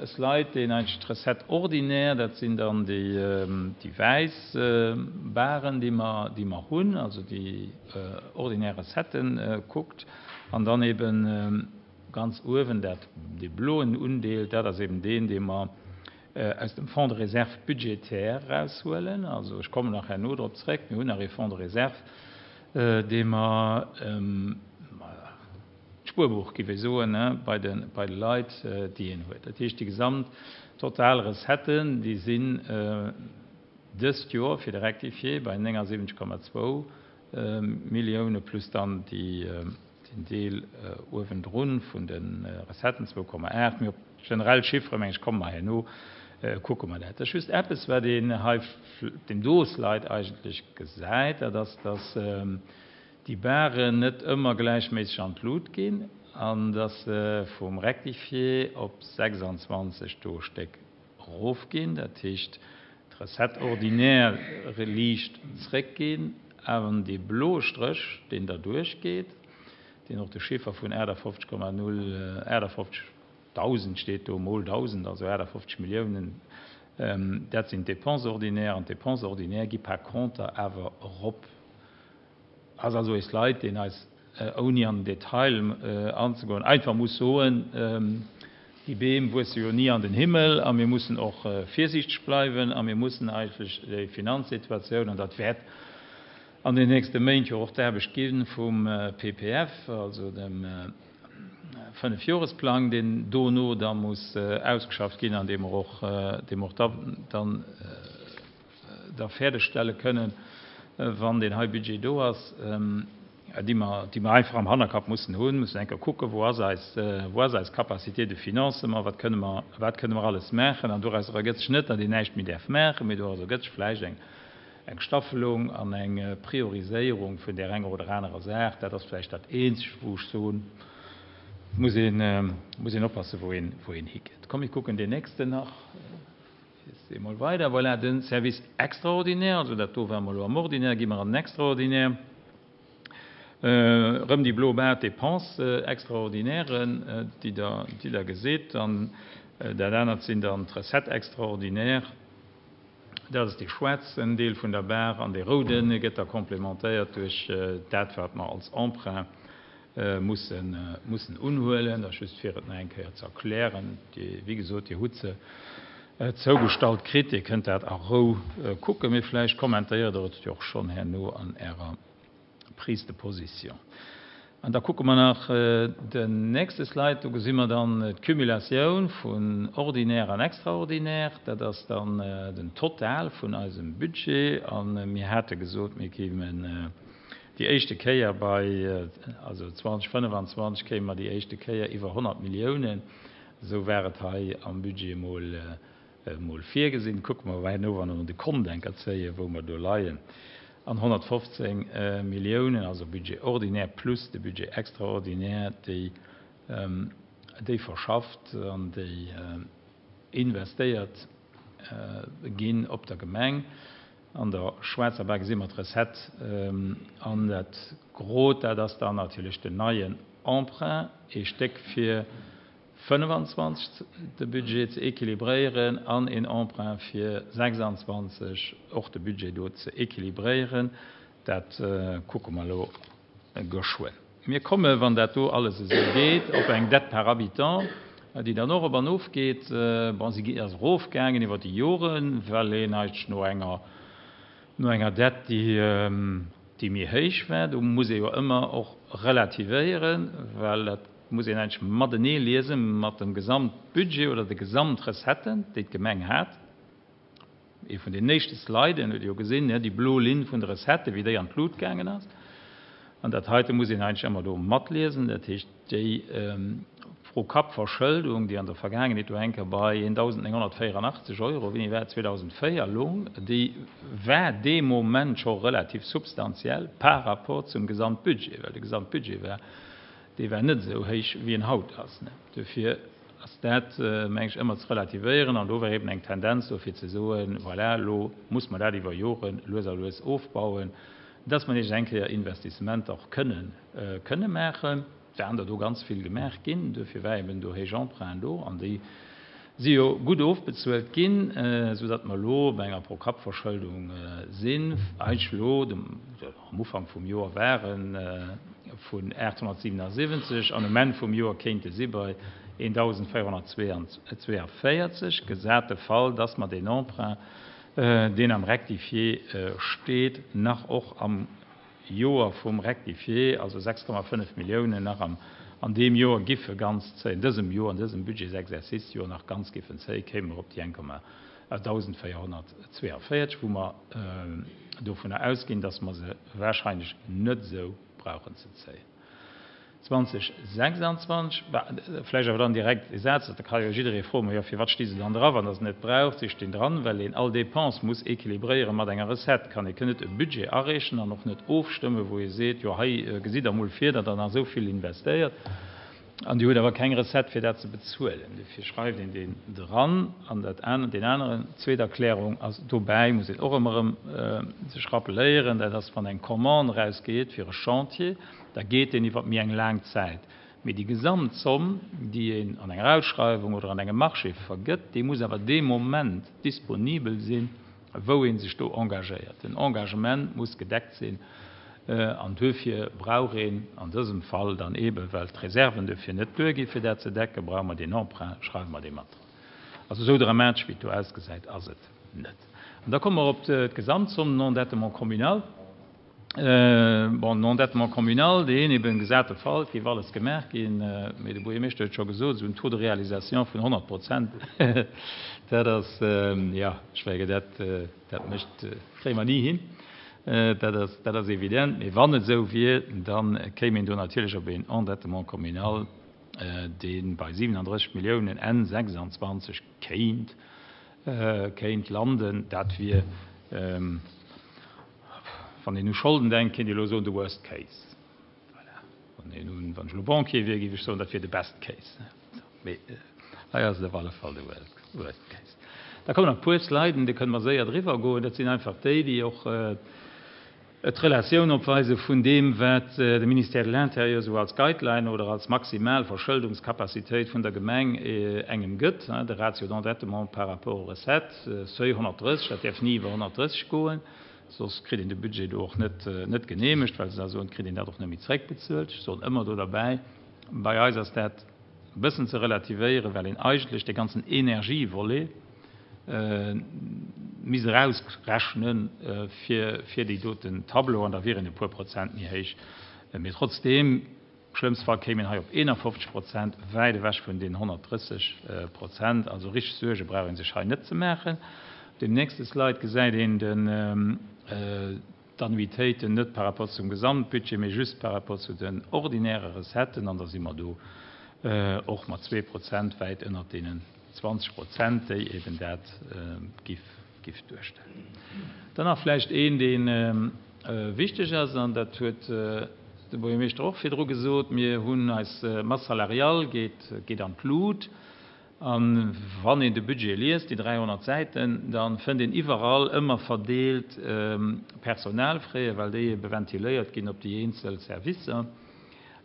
Slide, deen eigentlech d'Recette ordinaire, dat sinn dann déi wäiss Baren, déi mer, déi mer hunn, also déi ordinär Recetten kuckt. An dann eben ganz uewen dat, dee bloen Undeel, dat ass eben deen, dee mer aus dem Fonds de réserve budgétaire eraushuelen. Also ech kommen nach herno drop zréck, mir hunn nach ee Fonds de réserve, dee mer, d'Spuerbuch, géif ech soen, bei de, bei de Leit, déi een huet. Dat heescht, déi gesamt total Recetten, déi sinn dëst Joer fir de Rectifié bei néngasiwwenzeg Komma zwou Millioune plus dann déi, den Deel uewendrun vun de Recetten, zwou Komma aacht. Mee op generell Chiffere, meng ech, komme mer herno, kucke mer dat. Dat ass just eppes, wat een hei op deem do Slide eigentlech gesäit, dat ass, dass déi Baren net ëmmer gläichméisseg an d'Lut ginn an dass se vum Rectifié op sechsandzwanzeg do Stéck erofginn, dat heescht d'Recette ordinaire liicht zréckginn, awer dee bloe Stréch, deen derduerch geet, deen och de Chiffer vun achtafofzeg Komma null, achtafofzeg Dausend steet do, mol dausend, also achtafofzeg Milliounen, dat sinn d'Dépenses ordinaires, an d'Dépenses ordinaires gi par conter awer erop. Ass also ee Slide, deen eis, ouni an den Detail anzegoen, einfach muss soen, déi Beem wuesse jo ni an den Himmel a mir mussen och virsiichteg bleiwen a mir mussen eigentlech déi Finanzsituatioun, an dat wäert an den nächste Méint jo och d'Aarbecht gi vum P P F, also dem Fënnefjoresplang, deen dono da muss ausgeschafft ginn an dee mer och, dee mer och da dann da fäerdegstelle kënnen, wann deen hei Budget do ass, déi mer, déi mer einfach am Hannerkapp mussen hunn, mussen eng Kéier kucken, wou ass eis, wou ass eis Capacité de financement, wat kënne mer, wat kënne mer alles maachen. An doraus ergëtt sech net, datt een näischt méi däerf maachen, mee doraus ergëtt sech vläicht eng, eng Staffelung an eng Prioriséierung vun där enger oder anerer Saach. Dat ass vläicht dat Eenzegt, wou ech soen, muss een, muss een oppassen, wou een, wou een higeet. Komm, mir kucken deen nächsten nach. Emol weider. Voilà, den Service extraordinaire, also dat do ware mer elo am Ordinaire, gi mer an den Extraordinaire. Erëm déi blo Bar, d'Dépenses extraordinairen, déi Der, déi Der gesitt. An dat anert sinn dann d'Recettes extraordinaires. Dat ass dee schwaarzen Deel vun der Bar, an dee rouden gëtt da complémentéiert duerch dat, wat mer als Emprunt mussen, mussen unhuelen. Dat ass just fir et nach eng Kéier ze erklären. Déi, wéi gesot, Dir hutt se zougestallt kritt. Dir kënnt dat a Rou kucken, mee vläicht kommentéiert Der et jo och schonn herno an Ärer Prise de position. An da kucke mer nach den nächste Slide, do gesi mer dann d'Cumulatioun vun ordinaire an extraordinaire. Dat ass dann den Total vun eisem Budget. A mir hate gesot, mir kéimen déi éischte Kéier bei, also zweitausendfënnefenzwanzeg kéime mer déi éischte Kéier iwwer honnert Milliounen. Esou war et hei am Budget emol emol virgesinn. Kucke mer herno, wa mer de Kont enker zéien, wou mer do leien. An honnertfofzéng Milliounen, also Budget ordinaire plus de Budget extraordinaire, déi déi verschafft an déi investéiert ginn op der Gemeng. An der schwaarzer Bar gesi mer d'Recette an dat Grot, dat ass dann natierlech den neien Emprunt, ee Stéck fir fënnefenzwanzeg de Budget ze équilibréieren an een Emprunt fir sechsanzwanzeg och de Budget do ze équilibréieren. Dat kucke mer elo geschwënn. Mir kommen, wann dat do alles esou geet, op eng Dette par habitant, déi dann och op an of geet. Bon, si ass erofgaangen iwwer déi Joren, well een eigentlech no enger, no enger Dette, déi, déi méi héich war, do muss ee jo ëmmer och relativéieren, well dat muss een eigentlech matenee liese mat dem Gesamtbudget oder de Gesamtrecetten, déi d'Gemeng hat. Ee vun den éischte Sliden huet jo gesinn, déi blo Linn vun de Recetten, wéi déi an d'Lut gaangen ass. An dat heite muss een eigentlech ëmmer do matliesen. Dat heescht, déi Pro-Kapp-Verschëldung, déi an der Vergaangenheet do eng Kéier bei eendausendnénghonnertvéierandachtzeg Euro, wéini war et, zweedausendvéier loung, déi war dee Moment scho relativ substantiell par rapport zum Gesamtbudget, well de Gesamtbudget war, dee war net esou héich, wéi en haut ass. Dofir ass dat, meng ech, ëmmer ze relativéieren. An do war eben eng Tendenz do, fir ze soen, voilà, elo muss mer dat iwwer Jore lues a lues ofbauen, dass mer nees eng Kéier Investissementer och kënnen, kënne maachen. Et waren der do ganz vill gemaach ginn, duerfir war eben do héich Emprunten do, an déi si jo gutt ofbezuelt ginn, soudatt mer elo bei enger Pro-Kapp-Verschëldung sinn, eigentlech elo am Ufank vum Joer ware vun aathonnertsiwenasiwwenzeg an um Enn vum Joer kéinte si bei eendausendvéierhonnertzweeënvéierzeg, gesat de Fall, datt mer deen Emprunt, deen am Rectifié steet, nach och am Joer vum Rectifié, also sechs Komma fënnef Milliounen, nach am an deem Joer giffe ganz zéien, dësem Joer, an dësem Budgetsexercice-Joer nach ganz giffen zéien, kéime mer op déi eng Komma dausendvéierhonnertzweeënvéierzeg, wou mer dovunner ausginn, dass mer se wahrscheinlech net esou brauchen ze zéien. zweitausendsechsundzwanzeg, vläicht awer dann direkt e Saz, da ka jo jidderee froen, Ma jo, firwat sti se dann dra, wann Der se net braucht? Si stinn dran, well een all Dépense muss équilibréiere mat enger Recette. Kann ee net e Budget areechen an och net ofstëmmen, wou ee seet, Jo, hei gesitt Der emol vir, datt Der nach esou vill investéiert, an Dir hutt awer keng Recette, fir dat ze bezuelen. Dofir schreift een deen dran. An dat aner, deen aneren, zweet Erklärung ass dobäi, muss een och ëmmer erëm sech rappeléieren, dat ass, wann eng Commande erausgeet fir e Chantier, da geet deen iwwer méi eng laang Zäit. Mee déi Gesamtzomm, déi een an enger Ausschreiwung oder an engem Marché vergëtt, déi muss awer dee Moment disponibel sinn, wou ee sech do engagéiert. Den Engagement muss gedeckt sinn. An duerfir brauch een an dësem Fall dann eeben, well d'Reserven duerfir net duerginn, fir dat ze decken, brauche mer deen Emprunt, schreiwe mer dee mat dran. Also esou dramatesch, wéi et do ausgesäit, ass et net. An da komme mer op d'Gesamtzomm, den Endettement communal. Bon, den Endettement communal, deen eben, gesat de Fall, et géif alles gemaach ginn, mee de Buergermeeschter huet scho gesot, esou en Taux de réalisation vun honnert Prozent, dat ass, jo, ech mengen, dat, dat mécht, kréie mer ni hin. Dat ass, dat ass evident. Mee wann et esou wier, da kéim een do natierlech op een Endettement communal, dee bei siwenandrësseg Milliounen Enn sechsandzwanzeg kéint, kéint landen. Dat wier, wann een u Scholden denkt, kéint ee elo soen, de worst case. Voilà. Wann een un, wann ech elo Banquier wier, géif ech soen, dat wier de best case. Mee hei ass et op alle Fall de worst case. Da kommen nach e puer Sliden, do kënne mer séier driwwer goen. Dat sinn einfach déi, déi och d'Relatioun opweise vun deem, wat de Ministère de l'Intérieur esou als Guideline oder als maximal Verschëldungscapacitéit vun der Gemeng engem gëtt, de Ratio d'endettement par rapport aux recettes, Seuil honnertdrësseg, dat däerf ni iwwer honnertdrësseg goen, soss kritt een de Budget do och net net geneemegt, well se da soen, et kritt een dat och net méi zréckbezuelt. Ech soen ëmmer do derbäi, bei eis ass dat e bëssen ze relativéieren, well een eigentlech dee ganzen Energievolet misst erausrechnen fir fir déi doten Tableau an da wier en e puer Prozent méi héich. Mee trotzdeem, schlëmmste Fall kéim een hei op eenafofzeg Prozent, wäit ewech vun den honnertdrësseg Prozent. Also richteg Suerge brauch ee sech hei net ze maachen. Op deem nächste Slide gesäit een den d'Annuitéiten net par rapport zum Gesamtbudget, mee just par rapport zu den ordinäre Recetten, an da si mer do och mat zwee Prozent wäit ënnert deenen zwanzeg Prozent, déi eben dat giff giff duerstellen. Dann nach vläicht een, dee wichteg ass, an dat huet de Buergermeeschter och virdru gesot, Mir hunn eis Masse salariale geet geet an d'Lut. A wann een de Budget liest, déi dräihonnert Säiten, da fënnt een iwwerall ëmmer verdeelt Personalfraie, well déi ebe ventiléiert ginn op déi eenzel Servicer.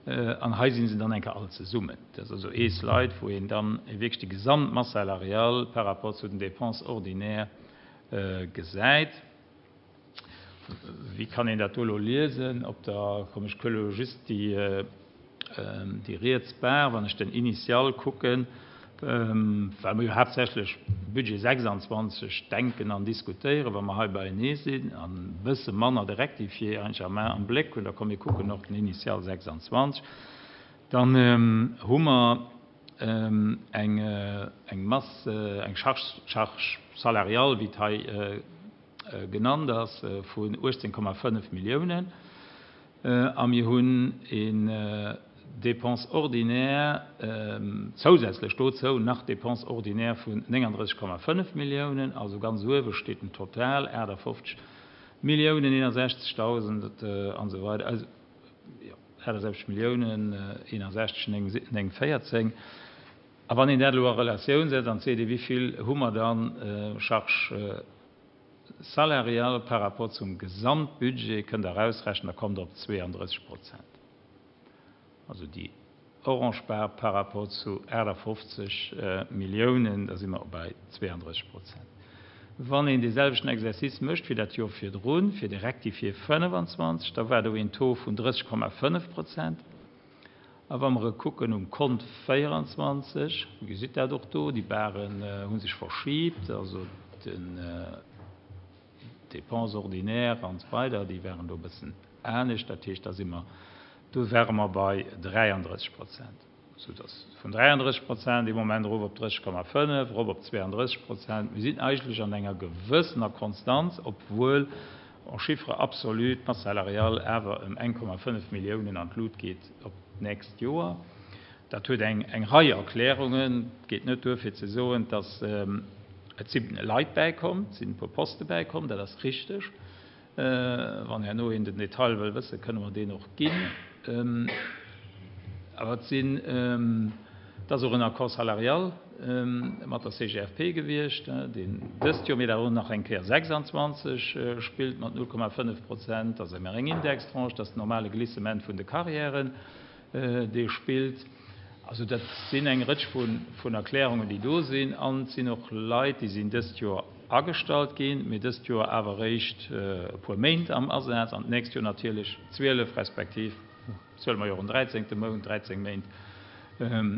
An hei si se dann eng Kéier all zesummen. Dat ass also ee Slide, wou een dann wierklech déi gesamt Masse salariale par rapport zu den Dépenses ordinaires gesäit. Wéi kann een dat do elo liesen? Op der, komm ech kucke elo just déi, déi riets Bar, wann ech den Initial kucken, well mer jo haaptsächlech Budget sechsanzwanzeg denken an diskutéieren, wa mer hei beienee sinn, an e bësse manner de Rectifié eigentlech am am Bléck hunn, da komm mir kucken och den Initial sechsanzwanzeg, dann hu mer eng eng Masse, eng Charge, Charge salariale, wéi et hei genannt ass, vun uechtzéng Komma fënnef Milliounen, a mir hunn een Dépenses ordinaires, zousätzlech dozou nach Dépenses ordinaires vun nénganddrësseg Komma fënnef Milliounen, also ganz uewe steet den Total, aachtafoffzeg Milliounen eenundsechzegdausend an esou weider, also jo, aachtasechzeg Milliounen eenundsechzeg néng néng véierzéng. A wann een dat elo a Relatioun setzt an seet, wéi vill hu mer dann Charge salariale par rapport zum Gesamtbudget, kënnt Der erausrechnen, da kommt Der op zweeandrësseg Prozent. Also déi orange Bar par rapport zu aachtafoffzeg Milliounen, da si mer bei zweeandrësseg Prozent. Wann een dee selwechten Exercice mécht wéi dat Joer virdrun, fir de Rectifié fënnefenzwanzeg, da war do een Taux vun drësseg Komma fënnef Prozent. A wa mer e kucken um Kont véieranzwanzeg, Dir gesitt dat och do, déi Baren hu sech verschibt, also den d'Dépenses ordinaires an esou weider, déi waren do e bëssen anescht. Dat heescht, da si mer, do ware mer bei dräiandrësseg Prozent, soudass vun dräiandrësseg Prozent ee Moment erof op drësseg Komma fënnef, erop op zweeandrësseg Prozent. Mir sinn eigentlech an enger gewëssener Konstanz, obwuel en chiffre absolu d'Masse salariale awer ëm eng Komma fënnef Milliounen an d'Lut geet op d'nächst Joer. Dat huet eng eng Rei Erklärungen. Et geet net duer fir ze soen, dass et si Leit bäikomm, et sinn e puer Poste bäikomm, dat ass richteg. Wann herno een den Detail wëll wëssen, kënne mer deen och ginn. Awer et sinn, et ass och en Accord salarial mat der C G F P gewiescht, deen dëst Joer, mee dat och nach eng Kéier sechsanzwanzeg spillt mat null Komma fënnef Prozent. Dat ass ëmmer eng Indextranche, dat ass den normale Glissement vun de Carrièren, dee spillt. Also dat sinn eng Rëtsch vun Erklärungen, déi do sinn. An et sinn och Leit, déi sinn dëst Joer agestallt ginn, mee dëst Joer awer eréischt e puer Méint am Asaz an d'nächst Joer natierlech zwielef, respektiv zuele mer jo och en dräizéngte Mount, dräizéng Méint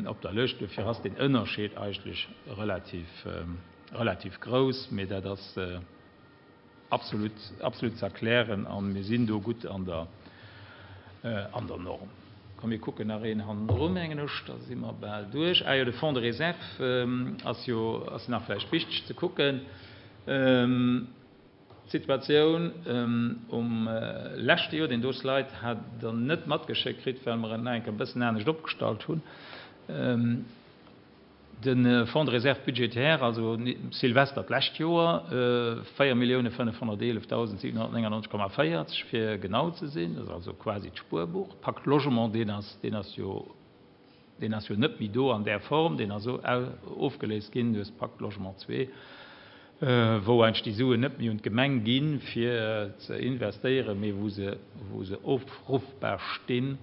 op der Lëscht. Dofir ass deen Ënnerscheed eigentlech relativ, relativ grouss, mee dat ass absolut, absolut ze erklären a mir sinn do gutt an der, an der Norm. Komm, mir kucken nach een hannendru, mengen ech, da si mer bal duerch. Ah jo, de Fonds de réserve ass jo, ass nach vläicht wichteg ze kucken. D'Situatioun um leschte Joer, deen do Slide hat Der net matgeschéckt kritt, well mer en nach eng Kéier e bëssen anescht opgestallt hunn. De Fonds de réserve budgétaire, also Silvester d'lescht Joer, véier Millioune fënnefhonnerteelefdausend siwenhonnertnéngannonzeg Komma véierzeg fir genau ze sinn, dat ass also quasi d'Spuerbuch. Pacte Logement, deen ass, deen ass jo, deen ass jo net méi do an där Form, deen ass ofgeléist ginn duerch Pacte Logement zwee, wou eigentlech déi Suen net méi un d'Gemeng ginn, fir ze investéieren, mee wou se, wou se ofruffbar stinn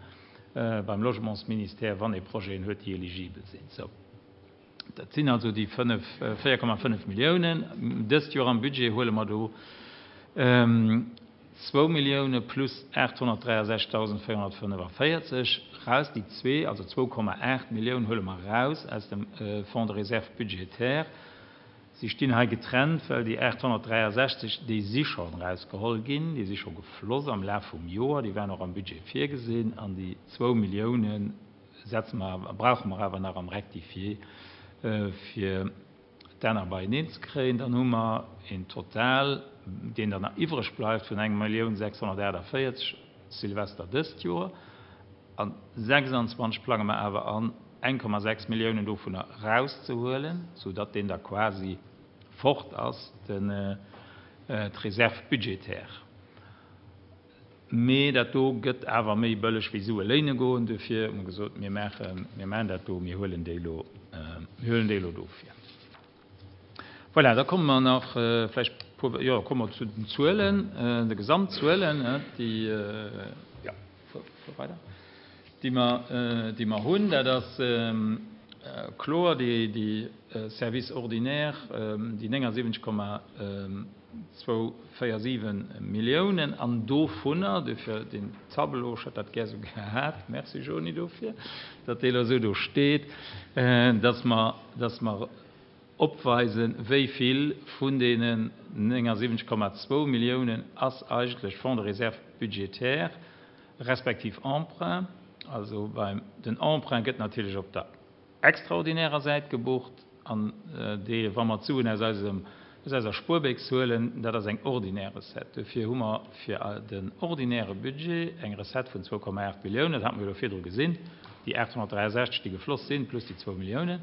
beim Logementsministère, wann ee Projeten huet, déi eligibel sinn. Sou, dat sinn also déi fënnef, véier Komma fënnef Milliounen. Dëst Joer am Budget huele mer do zwou Millioune plus aathonnertdräiasechzegdausendvéierhonnertfënnefavierzeg raus. Déi zwee, also zwou Komma aacht Millioune huele mer raus aus dem Fonds de réserve budgétaire. Si stinn hei getrennt, well déi aathonnertdräiasechzeg, déi si schonn erausgeholl ginn, déi si scho gefloss am Laf vum Joer, déi waren och am Budget virgesinn, an déi zwou Millioune setze mer, brauche mer awer nach am Rectifié, fir d'aner beieneen ze kréien. Dann hu mer een Total, deen dann nach iwwreg bleift, vun eng Millioun sechshonnertaachtavéierzeg Silvester dëst Joer. An sechsanzwanzeg plange mer awer an, eng Komma sechs Milliounen dovunner erauszehuelen, soudatt deen da quasi fort ass, den d'Réserve budgétaire. Mee dat do gëtt awer méi bëlleg wéi Sue léine goen. Dofir hu mer gesot, mir maachen, mir maachen dat do, mir huelen déi elo, mir huelen déi elo dofir. Voilà, da komme mer nach vläicht puer, jo, komme mer zu den Zuelen, de Gesamtzuelen, déi, jo, fuer, fuer weider, déi mer, déi mer hunn. Dat ass kloer, déi, déi Service ordinaire, déi néngasiwwenzeg Komma zwou véier siwen Milliounen, an dovunner, dofir den Tableau, ech hätt dat gär esou gehat, merci Joni dofir, datt dee elo esou do steet, dass mer, dass mer opweisen, wéi vill vun deenen néngasiwwenzeg Komma zwou Milliounen ass eigentlech Fonds de réserve budgétaire, respektiv Emprunt. Also beim, den Emprunt gëtt natierlech op der extraordinärer Säit gebucht, an dee, wa mer d'Suen aus eisem, aus eiser Spuerbécks huelen, dat ass eng ordinär Recette. Dofir hu mer fir den ordinäre Budget eng Recette vun zwou Komma aacht Milliounen, dat hate mer jo virdru gesinn, déi aathonnertdräiasechzeg, déi gefloss sinn, plus déi zwou Milliounen.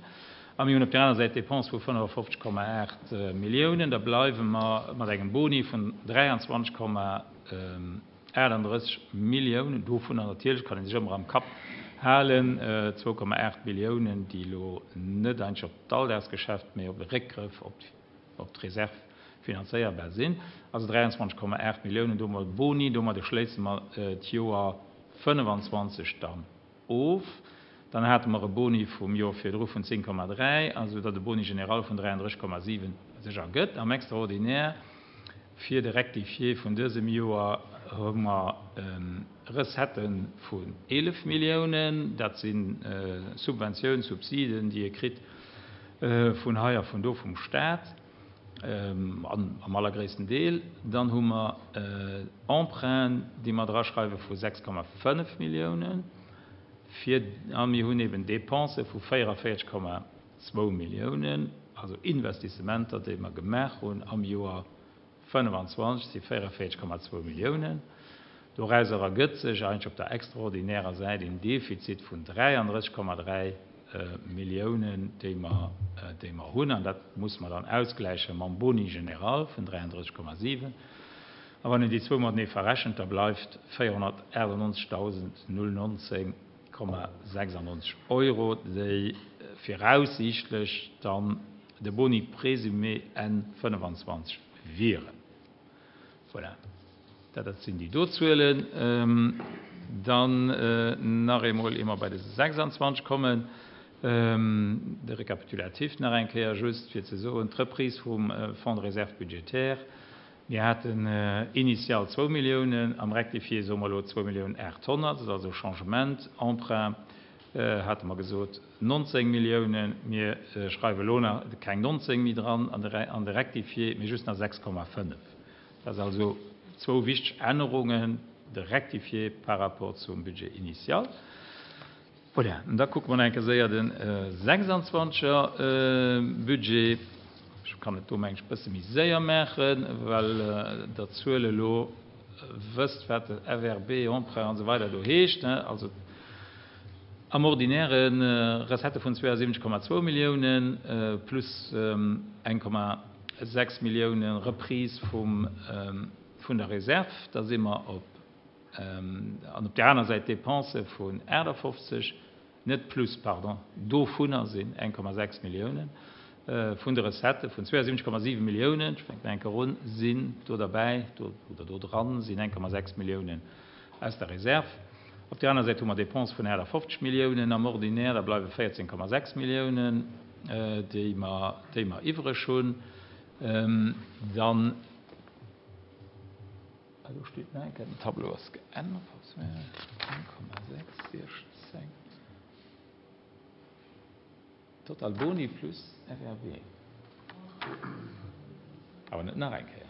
A mir hunn op der aner Säit Dépense vu fënnefafofzeg Komma aacht Milliounen, da bleiwe mer mat engem Boni vun dräianzwanzeg Komma achtandrësseg Milliounen. Dovunner natierlech kann ee sech ëmmer am Kapp halen, zwou Komma aacht Milliounen, déi elo net eigentlech op d'Alldagsgeschäft, mee op e Réckgrëff op, op d'Reserve finanzéierbar sinn. Also dräianzwanzeg Komma aacht Milliounen domat Boni, domat schléisse mer d'Joer fënnefanzwanzeg dann of. Dann hate mer e Boni vum Joer virdru vun zéng Komma dräi, also datt e Boni général vun dräiandrësseg Komma siwen sech ergëtt. Am Extraordinaire fir de Rectifié vun dësem Joer hu mer Recettë vun eelef Milliounen. Dat si Subventiounen, Subsiden, déi ee kritt vun hei a vun do vum Staat, an am allergréissten Deel. Dann hu mer Emprunten, déi mer draschreiwe vu sechs Komma fënnef Milliounen. Fir, a mir hunn eben Dépense vu véierunvéierzeg Komma zwou Milliounen, also Investissementer, déi mer gemaach hunn am Joer fënnefanzwanzeg, si véierunvéierzeg Komma zwou Milliounen. Dorauser ergëtt sech eigentlech op der extraordinärer Säit een Defizit vun dräiandrësseg Komma dräi Milliounen, déi mer, déi mer hunn. An dat muss mer dann ausgläiche mam Boni général vun dräiandrësseg Komma siwen. A wann een déi zwou matenee verrechent, da bleift véierhonnertachtannonzegdausend null nonzéng Komma sechsundneunzeg Euro, déi viraussiichtlech dann de Boni présumé N fënnefanzwanzeg wieren. Voilà. Dat, dat sinn déi do Zuelen. Dann nach eemol, ier mer bei de sechsundzwanzeg kommen, de Rekapitulatif nach eng Kéier just fir ze soen, d'Reprise vum Fonds de réserve budgétaire. Mir haten initial zwou Milliounen, am Rectifié soe mer elo zwou Milliounen aathonnert, dat ass also Changement. Emprunt hate mer gesot nonzéng Milliounen, mir schreiwe elo nach keng nonzéng méi dran an de, an de Rectifié, mee just nach sechs Komma fënnef. Dat ass also zwou wichteg Ännerungen, de Rectifié par rapport zum Budget initial. Voilà, an da kucke mer nach eng Kéier séier den sechsundzwanziger Budget. Ech kann et do mengen ech bësse méi séier maachen, well der Zuel elo wësst, wat de F R B, Emprunt an esou weider do heescht, ne? Also am ordinäre Recette vun zweiundsiebzig Komma zwou Milliounen plus eng Komma sechs Milliounen Reprise vum, vun der Reserve, da si mer op, an op der aner Säit Dépense vun achtundfünfzig, net plus, pardon, dovunner sinn eng Komma sechs Milliounen vun der Recette vun zweiundsiebzig Komma sieben Milliounen, ech fänken eng Kéier un, sinn do derbäi, do, oder do dran sinn eng Komma sechs Milliounen aus der Reserve. Op der aner Säit hu mer Dépense vun achtundfünfzig Milliounen am Ordinaire, da bleiwe véierzehn Komma sechs Milliounen, déi mer, déi mer iwwreg hunn. Dann, ah, do steet nach eng Kéier, den Tableau ass geännert, eng Komma sechs, siechzehn. Total Boni plus F R B. Awer net nach eng Kéier.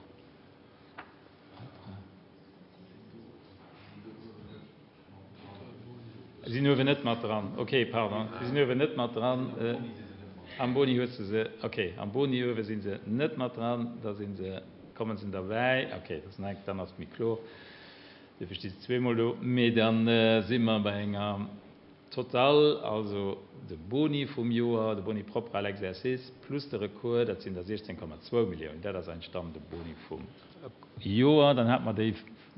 Sinn uewen net mat dran. Ok, pardon, si sinn uewen net mat dran. Am Boni hues de se. Ok, am Boni uewe si se net mat dran, da si se, kommen se derbäi. Ok, dat ass nach, dann ass et méi kloer. Duerfir sti se zweemol do. Mee da si mer bei enger Total, also de Boni vum Joer, de Boni propre à l'exercice plus de Recours, dat sinn der siechzéng Komma zwou Milliounen. Dat ass eigentlech dann de Boni vum Joer. Dann hate mer déi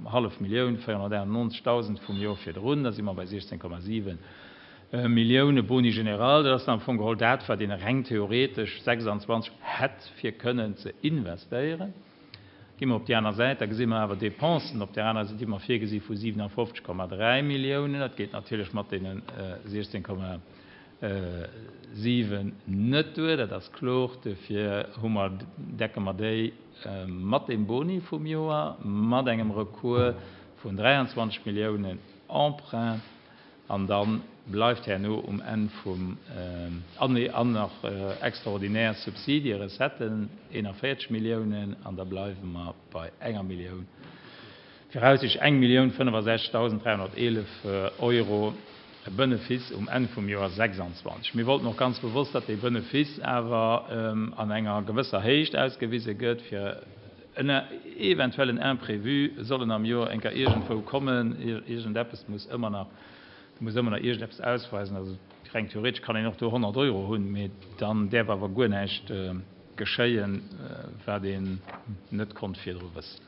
hallef Millioun, véierhonnertachtennonzegdausend, vum Joer virdrun. Da si mer bei siechzéng Komma siwen Millioune Boni général. Dat ass dann am Fong geholl dat, wat een reng theoretesch sechsanzwanzeg hätt fir kënnen ze investéieren. Gi mer op déi aner Säit, da gesi mer awer Dépensen op där aner Säit, déi mer virgesi vu siwenafofzeg Komma dräi Milliounen. Dat geet natierlech mat deene siechzéng Komma siwen net duer, dat ass kloer. Duerfir hu mer, decke mer déi mat deem Boni vum Joer, mat engem Recours vun dräianzwanzeg Milliounen Emprunt. An da bleift herno um Enn vum, an nee, an nach extraordinär Subsidie, Recetten, eenanvéierzeg Milliounen, an da bleiwe mer bei enger Millioun, viraussichtlech eng Millioun fënnefasechzegdausend dräihonnerteelef Euro Benefice um Enn vum Joer sechsanzwanzeg. Mir wollten och ganz bewosst, datt dee Benefice awer an enger gewësser Héicht ausgewise gëtt, fir en eventuellen Imprévu sollen am Joer eng Kéier iergendwou kommen, iergendeppes muss ëmmer nach, Du muss ëmmer nach iergendeppes ausweisen. Also reng theoretesch kann een och do honnert Euro hunn, mee dann däerf awer guer näischt geschéien, wat een net konnt virdru wëssen.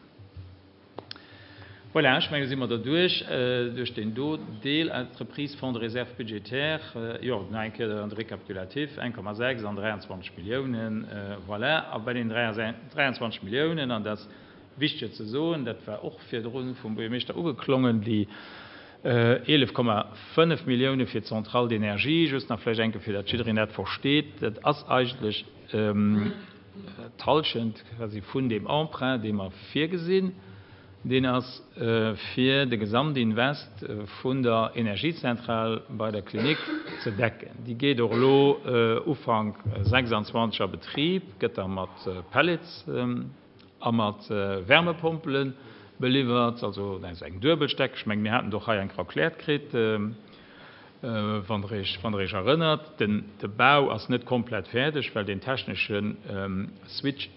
Voilà, ech mengen, da si mer derduerch, duerch deen do Deel. Entreprise, Fonds de réserve budgétaire, jo, nach eng Kéier de Récapitulatif, eng Komma sechs an dräianzwanzeg Milliounen, voilà. A bei den dräianzwanzeg Milliounen, an dat ass wichteg ze soen, dat war och virdru vum Buergermeeschter ugeklongen, déi eelef Komma fënnef Millioune fir d'Centrale d'énergie, just nach vläicht eng Kéier, fir datt jiddereen dat versteet, dat ass eigentlech d'Hallschent quasi vun deem Emprunt, dee mer virgesinn. Deen ass fir de Gesamtinvest vun der Energiezentral bei der Klinik ze decken. Déi geet och elo Ufank sechsanzwanzeg a Betrib, gëtt da mat Pellets a mat Wärmepompele beliwwert, also dat ass eng Duebelsteck. Ech mengen, mir haten et och hei eng Kéier erkläert kritt, wann Der Iech, wann Der Iech erënnert. Den, de Bau ass net komplett fäerdeg, well deen technesche Switch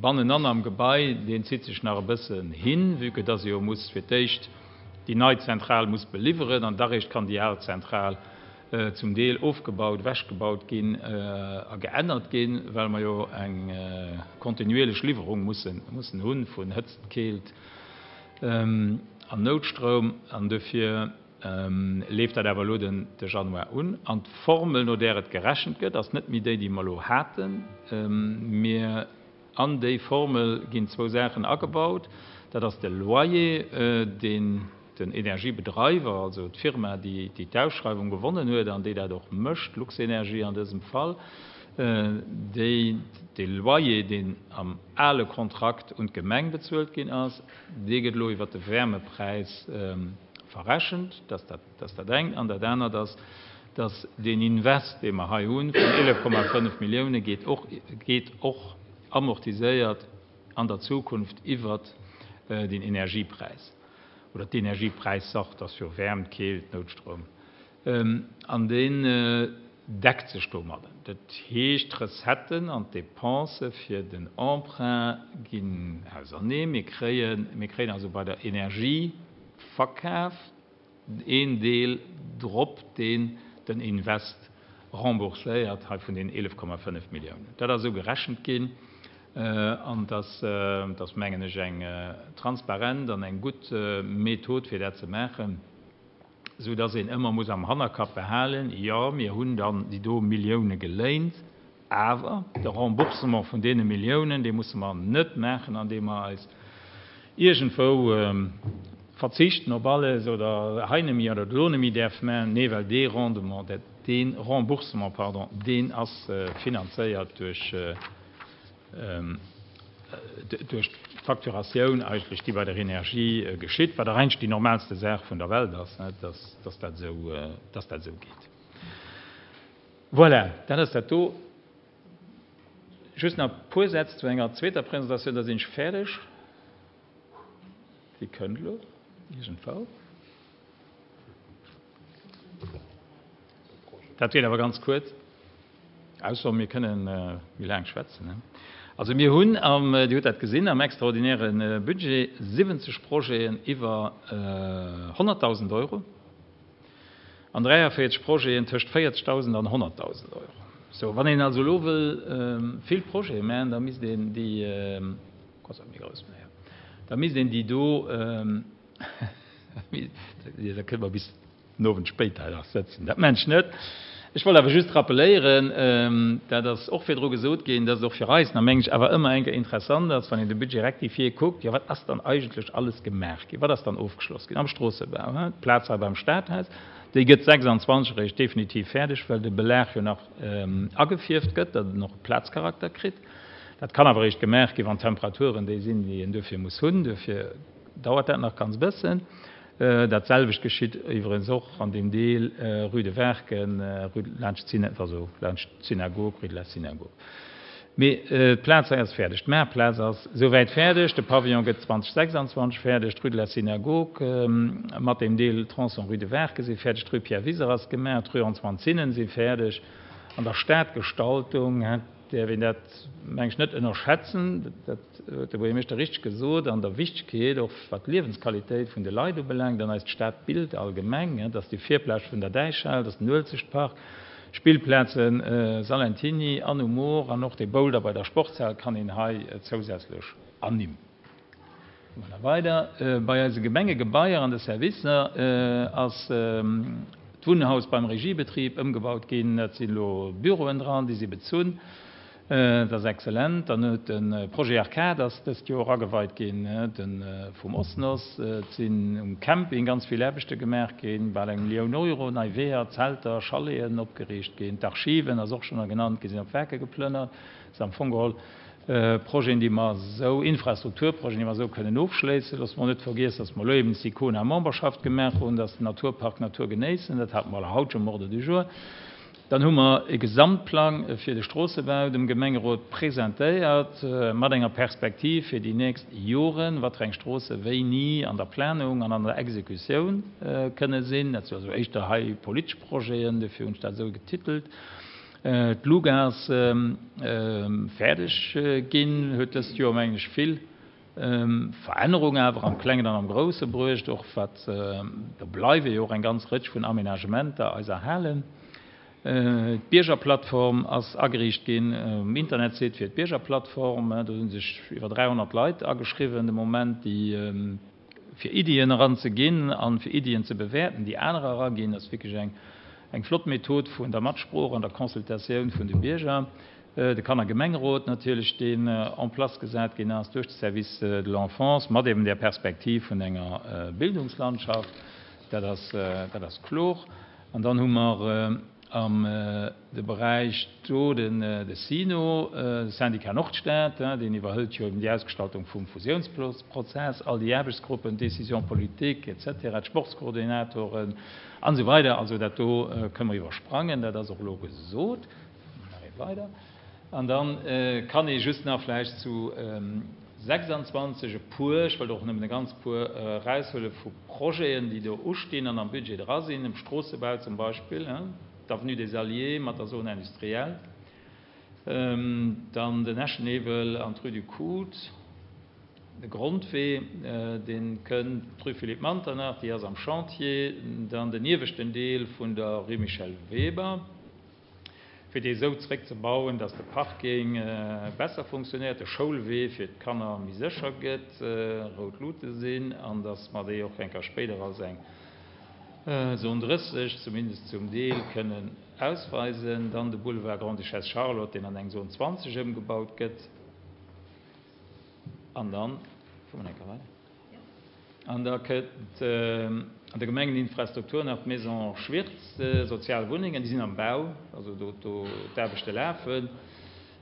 bannenan am Gebai, deen zitt sech nach e bëssen hin, vue que dass e jo muss fir d'éischt déi nei Zentral muss beliwweren an da réischt kann déi al Zentral zum Deel ofgebaut, ewechgebaut ginn a geännert ginn, well mer jo eng kontinuierlech Liwwerung mussen hunn vun Hëtzt, Keelt an Noutstroum. An dofir leeft dat awer elo den Januar un. An d'Formel, no där et gerechent gëtt, ass net méi déi, déi mer elo haten. Mir An déi Formel ginn zwou Saachen agebaut. Dat ass de Loyer, deen den Energiebedreiwer, also d'Firma, déi d'Ausschreiwung gewonnen huet an déi dat och mécht, Luxenergie an dësem Fall, déi dee Loyer, deen am ale Kontrakt un d'Gemeng bezuelt ginn ass, dee gëtt elo iwwert de Wärmepräis verrechent. Dat ass dat engt. An dat anert ass, dass deen Invest, dee mer hei hunn, vun eelef Komma fënnef Millioune geet och, geet och amortiséiert an der Zukunft iwwert den Energiepräis oder d'Energiepräissaach, dat ass jo Wäermt, Keelt, Noutstroum, an deen deckt sech domadden. Dat heescht, d'Recetten an d'Dépensë fir den Emprunt ginn auserneen. Mir kréien, mir kréien also bei der Energieverkaf een Deel drop, deen den Invest rembourséiert hei vun deenen eelef Komma fënnef Milliounen. Dat ass esou gerechent ginn an dat ass, mengen ech, eng transparent an eng gutt Method, fir dat ze maachen, soudass een ëmmer muss am Hannerkapp behalen, Jo, mir hunn dann déi do Millioune geléint, awer de Remboursement vun deene Milliounen, dee musse mer net maachen, andeem mer eis iergendwou verzichten op alles oder hei nemme oder do nemme däerf maachen. Nee, well dee Rendement, dee Remboursement, pardon, deen ass finanzéiert duerch duerch d'Facturatioun eigentlech, déi bei der Energie geschitt, wat och eigentlech déi normalste Saach vun der Welt ass, dass dass dat esou, dass dat esou geet. Voilà, dat ass dat do. Just nach e puer Sätz zu enger zweeter Presentatioun, da sinn ech fäerdeg. Déi kënnt elo iergendwou. Dat geet awer ganz kuerz, ausser mir kënnen méi laang schwätzen. Also mir hunn am, Dir hutt dat gesinn, am extraordinäre Budget siwwenzeg Projeten iwwer honnertdausend Euro an dräiavéierzeg Projeten tëscht véierzegdausend an honnertdausend Euro. Sou, wann een also elo wëll vill Projete maachen, da misst een déi, da misst een déi do, da kënne mer bis den Owend spéit hei nach sëtzen. Dat mengen ech net. Ech wollt awer just rappeléieren, dat ass och virdru gesot ginn, dass et och fir eis, na mengen ech, awer ëmmer eng Kéier interessant ass, wann een de Budget rectifié kuckt, jo wat ass dann eigentlech alles gemaach ginn, wat ass dann ofgeschloss ginn am Stroossebau, hein, d'Plaz hei beim Stadhaus, déi gëtt sechsandzwanzeg eréischt definitiv fäerdeg, well de Belag jo nach agefierft gëtt, datt en och e Plazcharakter kritt. Dat kann awer eréischt gemaach ginn, wann d'Temperaturen déi sinn, déi een duerfir muss hunn. Duerfir dauert dat nach ganz bëssen. Dat selwecht geschitt iwwerens och an deem Deel Rue de Werken, Rue laanscht d'Syna, also laanscht d'Synagog, Rue de la Synagogue. Mee d'Plaz hei ass fäerdeg, d'Maartplaz ass souwäit fäerdeg, de Pavillon gëtt zweitausendsechsundzwanzeg fäerdeg, d'Rue de la Synagogue mat deem Deel Tronçon Rue de Werken si fäerdeg, d'Rue Pierre Wiser ass gemaach, d'Rue Antoine Zinnen si fäerdeg. An der Stadgestaltung däerf een dat, meng ech, net ënnerschätzen, dat huet de Buergermeeschter richteg gesot, an der Wichtegkeet, och wat d'Liewensqualitéit vun de Leit ubelaangt an eist Stadbild allgemeng, dass déi Virplage vun der Däichhal, dass den Uelzechtpark, Spillplazen Salentiny an um Moor an och dee Boulder bei der Sportshal kann een hei zousätzlech ernimmen. Goe mer da weider. Bei eise Gemengegebaier an de Servicer ass d'Wunnhaus beim Regiebetrib ëmgebaut ginn. Dat sinn elo Büroen dran, déi si bezunn. Dat ass exzellent. Dann huet de Projet Arcade ass dëst Joer ageweit ginn, de vum Osnos. Et sinn um Camping ganz vill Aarbechte gemaach ginn, bal eng Millioun Euro, nei Weeër, Zelter, Chaleten opgeriicht ginn. D'Archiven, ass och schonn genannt ginn, sinn op Werke geplënnert. Dat ass am Fong geholl Projeten, déi mer esou, Infrastrukturprojeten, déi mer esou kënnen ofschléissen. Loosse mer net vergiessen, dass mer elo eben d'SICONA-Memberschaft gemaach hunn, dass den Naturpark Natur genéissen, dat hate mer haut schonn um Ordre du jour. Dann hu mer e Gesamtplang fir de Stroossebau dem Gemengerot presentéiert, mat enger Perspektiv fir déi nächst Joren, wat fir eng Stroosse wéini an der Planung an an der Exekutioun kënne sinn. Dat si also éischter hei politesch Projeten, dofir hunn ech dat esou getitelt. D'Luga ass fäerdeg ginn, huet dëst Joer, mengen ech, vill Verännerung awer am Klengen an am Grousse bruecht, och wat, do bleiwe jo och eng ganz Rëtsch vun Aménagementer eis erhalen. D'Biergerplattform ass ageriicht ginn, um Internetsite fir d'Biergerplattform, do hu sech iwwer dräihonnert Leit ageschriwwen de Moment, déi fir Iddien eranzeginn an fir Iddien ze bewäerten, déi anerer eraginn. Dat ass wierklech eng Eng flott Method vun der Matsprooch an der Consultatioun vun de Bierger. De Kannergemengerot natierlech, deen en place gesat ginn ass duerch de Service de l'enfance, mat eben där Perspektiv vun enger Bildungslandschaft, dat ass, dat ass klor. An dann hu mer am de Beräich do den de SYNO, de Syndicat Nordstad, deen iwwerhëlt jo eben déi Ausgestaltung vum Fusiounsprozess, all déi Aarbechtsgruppen, d'Décisions politiques et cetera, d'Sportskoordinatoren an esou weider. Also dat do kënne mer iwwersprangen, dat ass och elo gesot. Nach ee weider. An da kann ee just nach vläicht zu sechsundzwanzeg e puer, ech wëllt och nëmmen e ganz puer eraushuele vu Projeten, déi do ustinn an am Budget dra sinn, um Stroossebau zum Beispill, d'Avenue des Alliés mat der Zone industrielle, dann den Eschenewel an d'Rue du Cout, de Grondwee, dee kënnt, d'Rue Philippe Manternach, déi ass am Chantier, dann den ieweschten Deel vun der Rue Michel Weber, fir dee esou zréckzebauen, dass de Parking besser funktionéiert, de Schoulwee fir d'Kanner méi sécher gëtt, rout Luute sinn, an dass mer déi och eng Kéier spéider als eng Zone drësseg, zumindest zum Deel, kënnen ausweisen. Dann de Boulevard Grande-Duchesse Charlotte, deen an eng Zone zwanzeg ëmgebaut gëtt. An dann, fuere mer eng Kéier weider, an da kënnt an der Gemengeninfrastruktur nach d'Maison Schwirtz, sozial Wunnengen, déi sinn am Bau, also do, do d'Aarbechte lafen.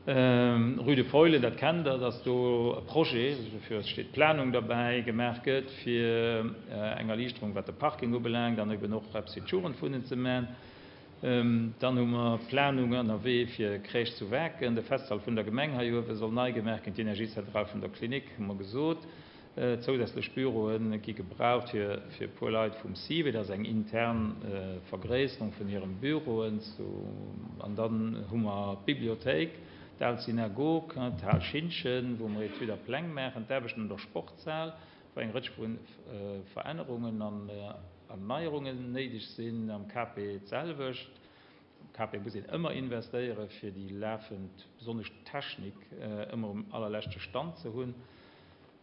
Rue de Feulen, dat kennt Der, dass do e Projet, dofir steet d'Planung derbäi, gemaach gëtt fir eng Erliichterung wat de Parking ubelaangt an eben och eppes fir d'Jugendwunnen ze man. Dann hu mer Planung ënnerwee fir Crèche zu Waarken, de Festsall vun der Gemeng hei uewe soll nei gemaach ginn, d'Energiezentral vun der Klinik, hu mer gesot. Zousätzlech Büroe gi gebraucht fir e puer Leit vum SIVE, dat ass eng intern Vergréisserung vun hirem Büroen. An dann hu mer d'Bibliothéik, d'al Synagog, d'Hal Schintgen, wou mer Etüd a Pläng maachen, d'Aarbechten un der Sportshal, wou eng Rëtsch vu Verännerungen an Erneierungen néideg sinn, am K P d'selwecht. Am K P muss een ëmmer investéieren, fir déi lafend, besonnesch d'Technik, ëmmer um allerleschte Stand ze hunn.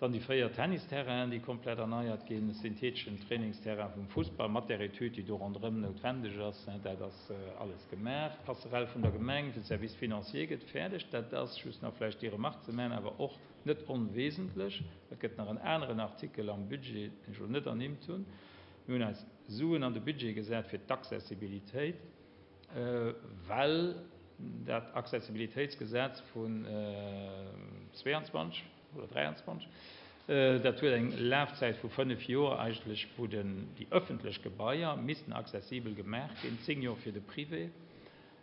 Dann déi véier Tennisterrainen, déi komplett erneiert ginn, e syntheeteschen Trainingsterrain vum Fussball mat där Etüd, déi do ronderëm noutwendeg ass, dat ass alles gemaach. D'Passerelle vun der Gemeng fir de Service financier gëtt fäerdeg. Dat ass, just nach vläicht déi Remarque ze maachen, awer och net onwesentlech. Et gëtt nach en aneren Artikel am Budget, deen ech elo net ernimmt hunn. Mir hunn eis Suen an de Budget gesat fir d'Accessibilitéit, well dat Accessibilitéitsgesetz vun zwéianzwanzeg oder dräianzwanzeg, dat huet eng Lafzäit vu fënnef Joer eigentlech, wou déi ëffentlech Gebaier missten accessibel gemaach ginn, zéng Joer fir de Privé.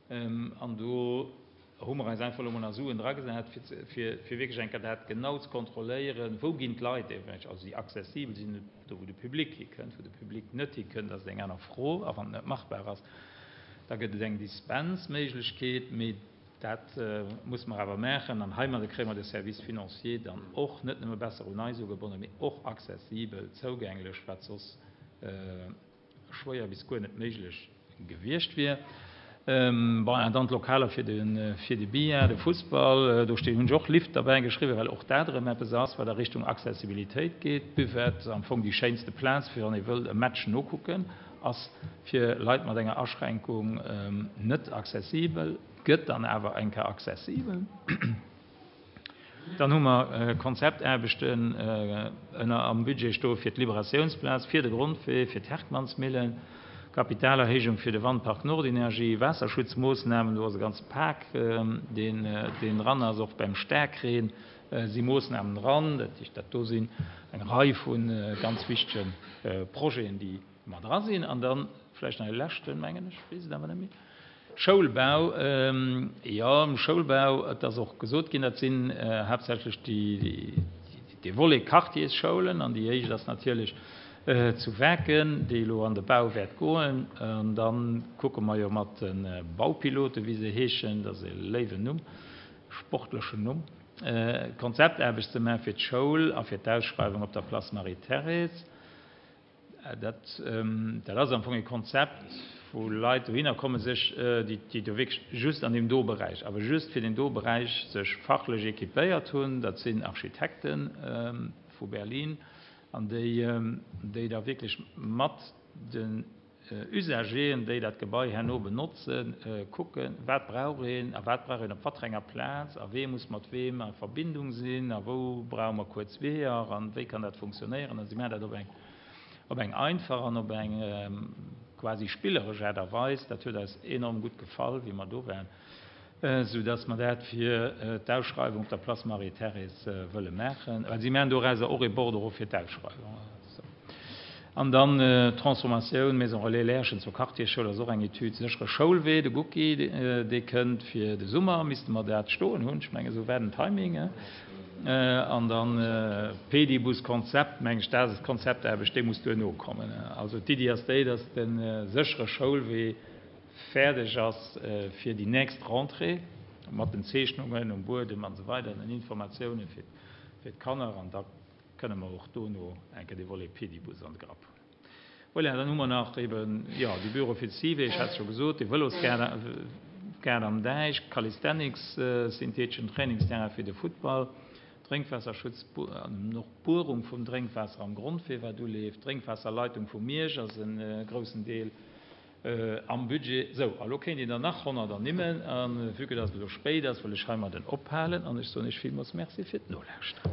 An do hu mer eis einfach elo mol nach Suen dragesat, fir wierklech eng Kéier dat genau ze kontrolléieren, wou ginn d'Leit eventuell, also déi accessibel sinn, do wou de Public hikënnt, wou de Public net hikënnt, ass et eng aner Fro, a wann et net machbar ass, da gëtt et eng Dispensméiglechkeet, mee dat muss mer awer maachen. An heimadde kréie mer de Service financier dann och net nëmme besser un eis ugebonnen, mee och accessibel, zougänglech, wat soss schwéier bis guer net méiglech gewiescht wier. Bon, an dann d'Lokaler fir de fir de Billard, de Fussball, do stinn, hunn ech och Lift derbäi geschriwwen, well och dat erëm eppes ass, wat a Richtung Accessibilitéit geet. D'Buvette, am Fong déi schéinste Plaz, fir wann ee wëllt e Match nokucken, ass fir Leit mat enger Aschränkung net accessibel, gëtt dann awer eng Kéier accessibel. Dann hu mer Konzeptaarbechten ënner am Budget stoe fir d'Liberatiounsplaz, fir de Grondwee, fir d'Herckmannsmillen, Kapitalerhéijung fir de Wandpark Nordenergie, Waasserschutzmoossnamen, do ass e ganze Pak, deen deen dran ass. Och beim Staarkreen si Moossnamen dran. Dat heescht, dat do sinn eng Rei vu ganz wichtege Projeten, déi mat dra sinn. An da vläicht nach e leschten, mengen ech, weess et awer net méi, Schoulbau. Jo, um Schoulbau, et ass och gesot ginn, dat sinn haaptsächlech déi, dee Volet Quartiersschoulen. An déi éischt ass natierlech zu Waarken, déi elo an de Bau wäert goen. An da kucke mer jo mat de Baupiloten, wéi se heeschen, dat ass e léiwen Numm, sportlechen Numm, Konzeptaarbecht ze maachen fir d'Schoul a fir d'Ausschreiwung op der Place Marie-Thérèse. Dat, dat ass am Fong e Konzept, wou Leit dohinner kommen, sech, déi, déi do wierklech just an deem do Beräich, awer just fir deen do Beräich sech fachlech équipéiert hunn. Dat sinn Architekte vu Berlin an déi, déi da wierklech mat den Usageren, déi dat Gebai herno benotzen, kucken, wat brauch een a wat brauch een op wat fir enger Plaz a wee muss mat weem a Verbindung sinn a wou brauche mer kuerz Weeër an wéi kann dat funktionéieren. A si maachen dat op eng op eng einfach an op eng quasi spilleresch Aart a Weis. Dat huet eis enorm gutt gefall, wéi mer do waren, sou dass mer dat fir d'Ausschreiwung op der Place Marie-Thérèse wëlle maachen. Well si maachen dorauser och ee Bordereau fir d'Ausschreiwung. An dann d'Transformatioun Maison Relais Lärchen zur Quartiersschoul ass och eng Etüd. Séchere Schoulwee, de Gucki, dee kënnt fir de Summer, misste mer dat stoen hunn. Ech mengen, esou war den Timing. An dann Pedibus-Konzept, mengen ech, dat ass d'Konzeptaarbecht, déi muss duerno kommen. Also d'Iddi ass déi, dass de séchere Schoulwee fäerdeg ass fir déi nächst Rentrée, mat den Zeechnungen um Buedem an esou weider, den Informatioune fir d'Kanner. An da kënne mer och dono eng Kéier dee Volet Pedibus an de Grapp huelen. Voilà, dann hu mer nach eben, jo, de Büro fir de C I V E, ech hat et scho gesot, de Vëlosgaart am Däich, Calisthenics, syntheeteschen Trainingsterrain fir de Futtball, Drénkwaasserschutz an och d'Buerung vum Drénkwaasser am Grondwee, wat uleeft, d'Drénkwaasserleitung vu Miersch ass e groussen Deel am Budget. Sou, a lo kéint een der nach honnert ernimmen. A vue que dass et elo spéit ass, wëll ech heimadden ophalen an ech soen Iech villmools Merci fir d'Nolauschteren.